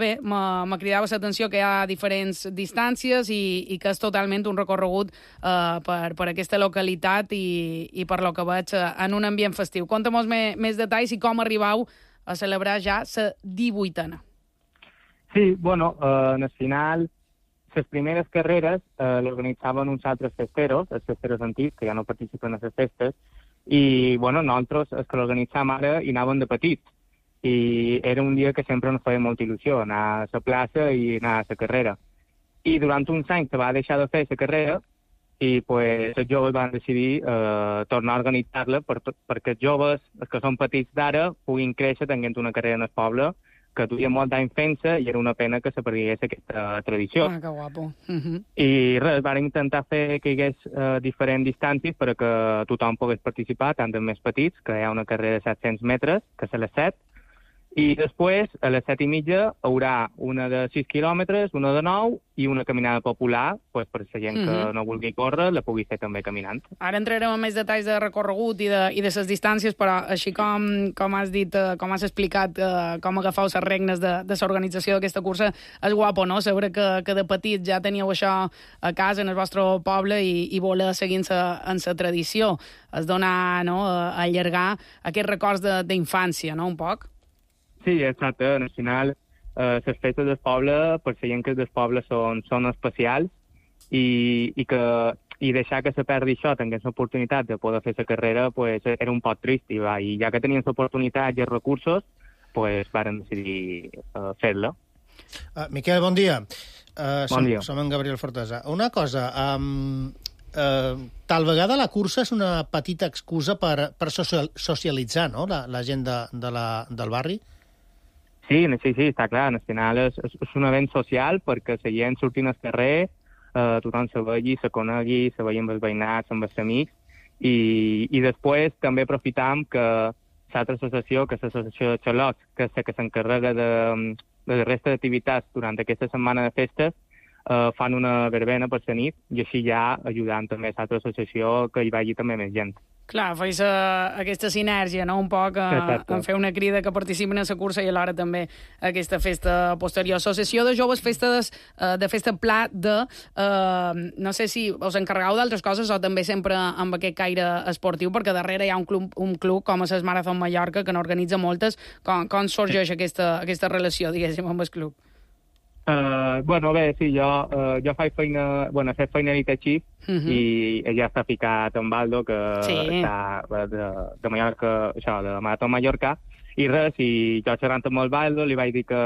bé, me cridava l'atenció que hi ha diferents distàncies i que és totalment un recorregut per aquesta localitat i per lo que veig en un ambient festiu. Conta'm més detalls i com arribau a celebrar ja la 18a. Sí, bueno, en el final, les primeres carreres l'organitzaven uns altres festeros, els festeros antics, que ja no participen a les festes, i, bueno, nosaltres, els que l'organitzàvem ara, hi anàvem de petits. I era un dia que sempre ens feia molta il·lusió, anar a la plaça i anar a la carrera. I durant uns anys se va deixar de fer la carrera i, pues, els joves van decidir tornar a organitzar-la perquè els joves, els que són petits d'ara, puguin créixer tenint una carrera en el poble, que duia molt d'any fent-se i era una pena que se perdés aquesta tradició. Ah, que guapo. I res, van intentar fer que hi hagués diferents distàncies perquè tothom pogués participar, tant els més petits, que hi ha una carrera de 700 metres, que és a les 7, i després, a les 7:30, hi haurà una de 6 quilòmetres, una de 9 i una caminada popular, pues, per la gent que no vulgui córrer, la pugui fer també caminant. Ara entrarem en més detalls de recorregut i de les distàncies, però així com has dit, com has explicat, com agafau les regnes de l'organització d'aquesta cursa, és guapo, no? Saber que de petit ja teníeu això a casa, en el vostre poble, i voler seguir en la tradició. És donar, no?, allargar aquests records d'infància, no?, un poc. Sí, exacte. Al final, les festes del poble, per la gent que del poble són especials i deixar que se perdi això, tenint l'oportunitat de poder fer la carrera, pues, era un poc trist. I ja que tenien l'oportunitat i els recursos, pues, varen decidir fer-la. Miquel, bon dia. Bon dia. Som en Gabriel Fortesa. Una cosa, tal vegada la cursa és una petita excusa per socialitzar, no?, la gent del barri? Sí, està clar. Al final és un event social perquè la gent sortint al carrer, tothom se vegi, se conegui, se vegi amb els veïnats, amb els amics, i després també aprofitam que l'altra associació, que és l'associació de xalots, que és la que s'encarrega de la resta d'activitats durant aquesta setmana de festes, fan una verbena per la nit i així ja ajudant també a l'altra associació que hi vagi també més gent. Clar, feis aquesta sinergia, no?, un poc, en fer una crida que participen en la cursa i alhora també aquesta festa posterior. Associació de Joves de Festa Pla de... no sé si us encarregau d'altres coses o també sempre amb aquest caire esportiu, perquè darrere hi ha un club com és el Marathon Mallorca, que n'organitza moltes. Com sorgeix aquesta relació, diguéssim, amb el club? Bueno, bé, sí, jo faig feina, he fet feina a Chief i ja està ficat en Baldo, que està de Mallorca, això, de Marathon Mallorca, i res, i jo xerrant amb el Baldo li vaig dir que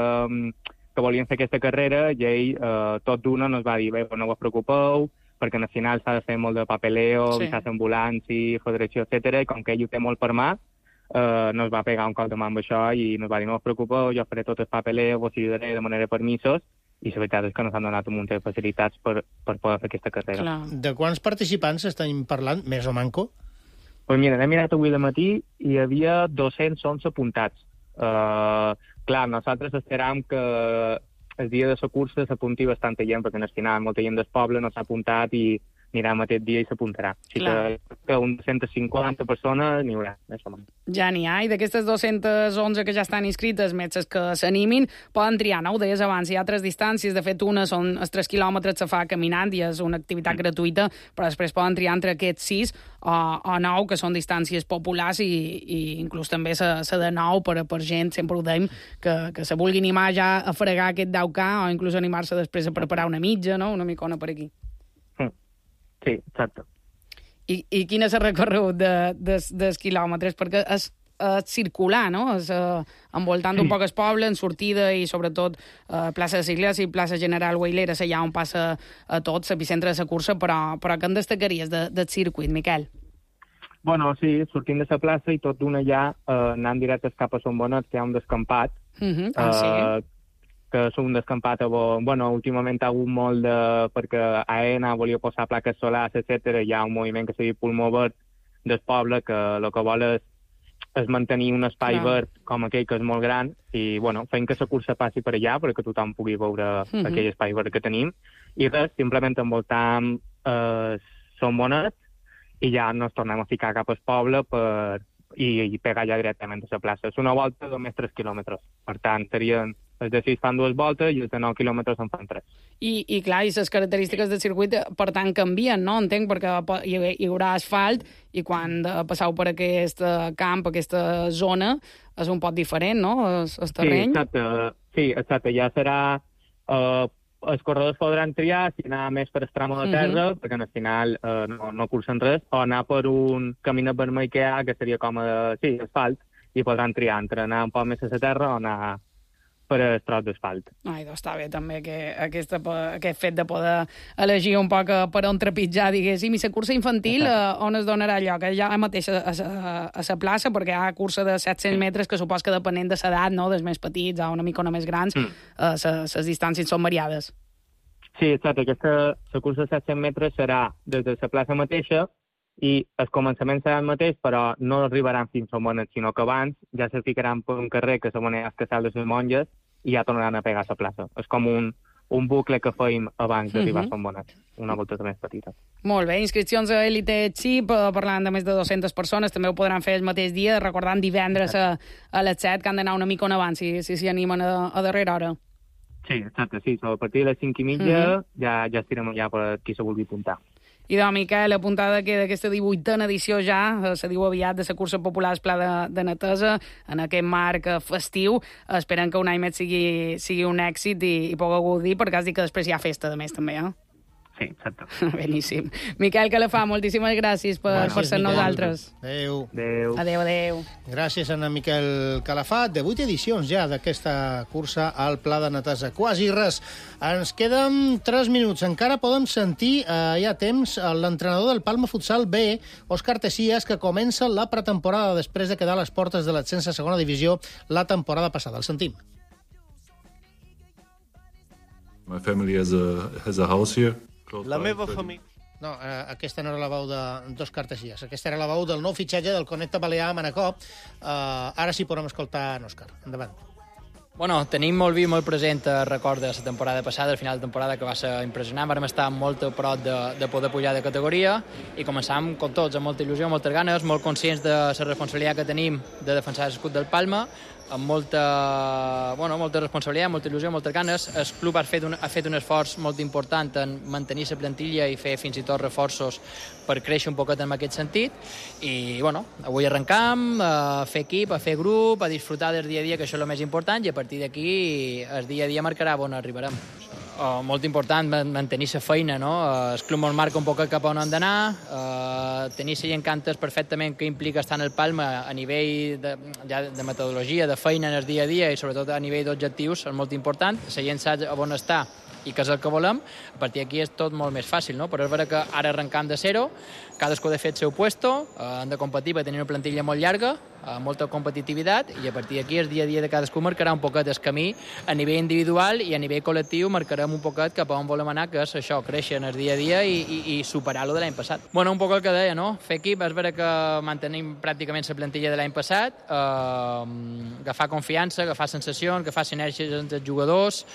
que volien fer aquesta carrera i ell tot d'una ens va dir, bé, no us preocupeu, perquè al final s'ha de fer molt de papeleo, visats ambulanci, federació, etc. I com que ell ho té molt per mà, no es va pegar un cop de mà amb això i nos va dir, no us preocupeu, jo faré tot el papeleo, vos ajudaré de manera permisos, i la veritat és que ens han donat un munt de facilitats per poder fer aquesta carrera. Clar. De quants participants estem parlant, més o manco? Pues mira, n'he mirat avui de matí i hi havia 211 apuntats. Clar, nosaltres esperàvem que el dia de la cursa s'apunti bastant gent, perquè al final molta gent del poble no s'ha apuntat i anirà aquest dia i s'apuntarà. Així que uns 150 persones n'hi haurà, més o menys. Ja n'hi ha, i d'aquestes 211 que ja estan inscrites, metges que s'animin, poden triar, no? Ho deies abans, hi ha 3 distàncies, de fet una són els 3 quilòmetres se fa caminant i és una activitat gratuïta, però després poden triar entre aquests 6 o 9, que són distàncies populars i inclús també la de 9 per gent, sempre ho dèiem, que se vulgui animar ja a fregar aquest 10K o inclús animar-se després a preparar una mitja, no? Una micona per aquí. Sí, exacte. I quin és el recorregut dels quilòmetres? Perquè és circular, no? És envoltant un poc el poble, en sortida i sobretot plaça de Sigles i plaça General Weilera, allà on passa a tot, l'epicentre de la cursa, però què en destacaries del circuit, Miquel? Bueno, sí, sortint de la plaça i tot d'una ja anant directes cap a Son Bonet, que hi ha un descampat, que és un descampat on, bueno, últimament ha hagut molt perquè AENA volia posar plaques solars, etc. Hi ha un moviment que s'ha dit Pulmó Verd del poble, que el que vol és mantenir un espai verd com aquell que és molt gran i, bueno, fent que la cursa passi per allà perquè tothom pugui veure aquell espai verd que tenim. I res, simplement envoltam Son Bonet i ja ens tornem a ficar cap al poble i pegar ja directament a la plaça. És una volta de més 3 quilòmetres. Per tant, serien els de 6 fan 2 voltes i els de 9 quilòmetres en fan 3. I clar, i les característiques del circuit, per tant, canvien, no? Entenc, perquè hi haurà asfalt i quan passeu per aquest camp, aquesta zona, és un poc diferent, no?, el terreny. Sí, exacte. Ja serà... els corredors podran triar si anar més per el tram de terra, perquè al final no cursen res, o anar per un caminet vermell que hi ha, que seria com asfalt, i podran triar entre anar un poc més a la terra o anar per el tros d'asfalt. Ai, doncs està bé també aquest fet de poder elegir un poc per on trepitjar, diguéssim. I la cursa infantil, on es donarà lloc? Ja mateix a la plaça, perquè hi ha cursa de 700 metres que supos que depenent de l'edat, no?, dels més petits o una mica més grans, les distàncies són variades. Sí, exacte. La cursa de 700 metres serà des de la plaça mateixa i el començament serà el mateix, però no arribaran fins a Son Bonet, sinó que abans ja se ficaran per un carrer que s'anomena Casal de les Monges i ja tornaran a pegar a la plaça. És com un bucle que fèiem abans d'arribar a Son Bonet, una volta més petita. Molt bé, inscripcions a Elite Chip, parlant de més de 200 persones, també ho podran fer el mateix dia, recordant divendres a les 7, que han d'anar una mica on abans, si s'hi animen a darrera hora. Sí, exacte, sí, a partir de les 5:30 ja estirem allà per qui se vulgui apuntar. I doncs, Miquel, apuntada que d'aquesta 18a edició ja, se diu aviat, de la cursa popular Pla de Netesa, en aquest marc festiu, esperen que un any més sigui un èxit i pugueu gaudir, perquè has dit que després hi ha festa, de més, també, eh? Sí, exacte. Beníssim. Miquel Calafà, moltíssimes gràcies per ser nosaltres. Adéu. Adéu. Gràcies a en Miquel Calafà. 18 edicions ja d'aquesta cursa al Pla de Netesa. Quasi res. Ens queden 3 minuts. Encara podem sentir, hi ha temps, l'entrenador del Palma Futsal B, Òscar Tessias, que comença la pretemporada després de quedar a les portes de l'ascens a segona divisió la temporada passada. El sentim. My family has a house here. La meva família... No, aquesta no era la veu d'Òscar Tessias. Aquesta era la veu del nou fitxatge del Connecta Balear a Manacor. Ara sí podem escoltar en Òscar. Endavant. Bueno, tenim molt vi, molt present el record de la temporada passada, al final de temporada, que va ser impressionant. Vam estar molt a prop de poder pujar de categoria i començàvem, com tots, amb molta il·lusió, moltes ganes, molt conscients de la responsabilitat que tenim de defensar l'escut del Palma, amb molta responsabilitat, molta il·lusió, moltes ganes. El club ha fet un esforç molt important en mantenir la plantilla i fer fins i tot reforços per créixer un poquet en aquest sentit. I, bueno, avui arrencam a fer equip, a fer grup, a disfrutar del dia a dia, que això és el més important, i a partir d'aquí el dia a dia marcarà on arribarem. molt important mantenir la feina, no? El club ens marca un poc cap on hem d'anar, tenir la gent que entès perfectament què implica estar en el Palma a nivell de metodologia, de feina en el dia a dia i sobretot a nivell d'objectius és molt important. La gent sap on està i que és el que volem, a partir d'aquí és tot molt més fàcil, no? Però és vera que ara arrencam de zero, cadascú ha de fer el seu puesto, hem de competir per tenir una plantilla molt llarga, molta competitivitat, i a partir d'aquí el dia a dia de cadascú marcarà un poquet el camí a nivell individual i a nivell col·lectiu marcarem un poquet cap a on volem anar, que és això, créixer en el dia a dia i superar-lo de l'any passat. Bueno, un poc el que deia, no? Fer equip, és vera que mantenim pràcticament la plantilla de l'any passat, agafar confiança, agafar sensacions, agafar sinergies entre els jugadors,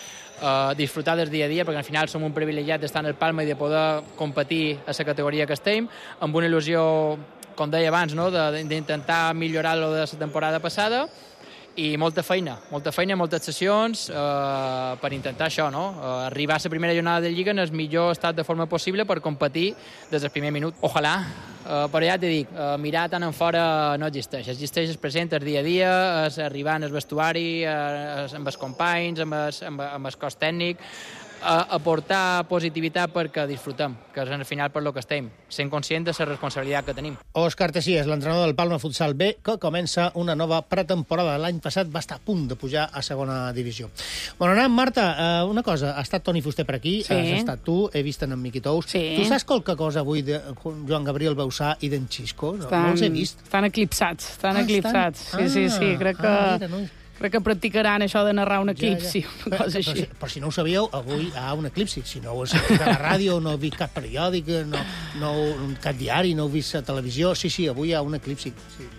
disfrutar del dia a dia, perquè al final som un privilegiat d'estar en el Palma i de poder competir a la categoria que estem, amb una il·lusió, com deia abans, no? D'intentar millorar-lo de la temporada passada, i molta feina, moltes sessions per intentar això, no? Arribar a la primera jornada de Lliga en el millor estat de forma possible per competir des del primer minut. Ojalà, però ja t'he dit, mirar tant en fora no existeix. Existeix el present, el dia a dia, és arribar en el vestuari, amb els companys, amb el cos tècnic, aportar positivitat perquè disfrutem, que és al final per lo que estem, sent conscient de la responsabilitat que tenim. Òscar Tessies, l'entrenador del Palma Futsal B, que comença una nova pretemporada. L'any passat va estar a punt de pujar a segona divisió. Bueno, anem, Marta, una cosa, ha estat Toni Fuster per aquí, has estat tu, he vist en Miqui Tous. Tu saps qualque cosa avui de Joan Gabriel Bausà i d'en Xisco? No els he vist. Estan eclipsats. Sí, crec que practicaran això de narrar un equip, sí, una cosa així. Però si no ho sabíeu, avui hi ha un eclipsi. Si no ho heu sentit a la ràdio, no heu vist cap periòdic, cap diari, no heu vist a televisió, sí, avui hi ha un eclipsi.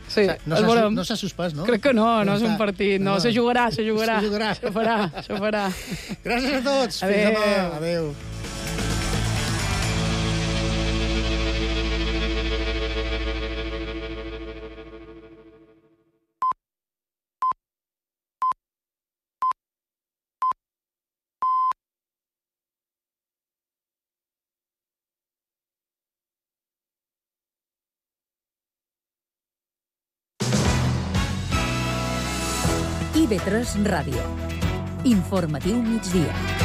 Sí, no s'ha suspès, no? Crec que no és un partit. No, se jugarà. Se farà. Gràcies a tots. Fins demà. Adéu. IB3 Ràdio. Informatiu migdia.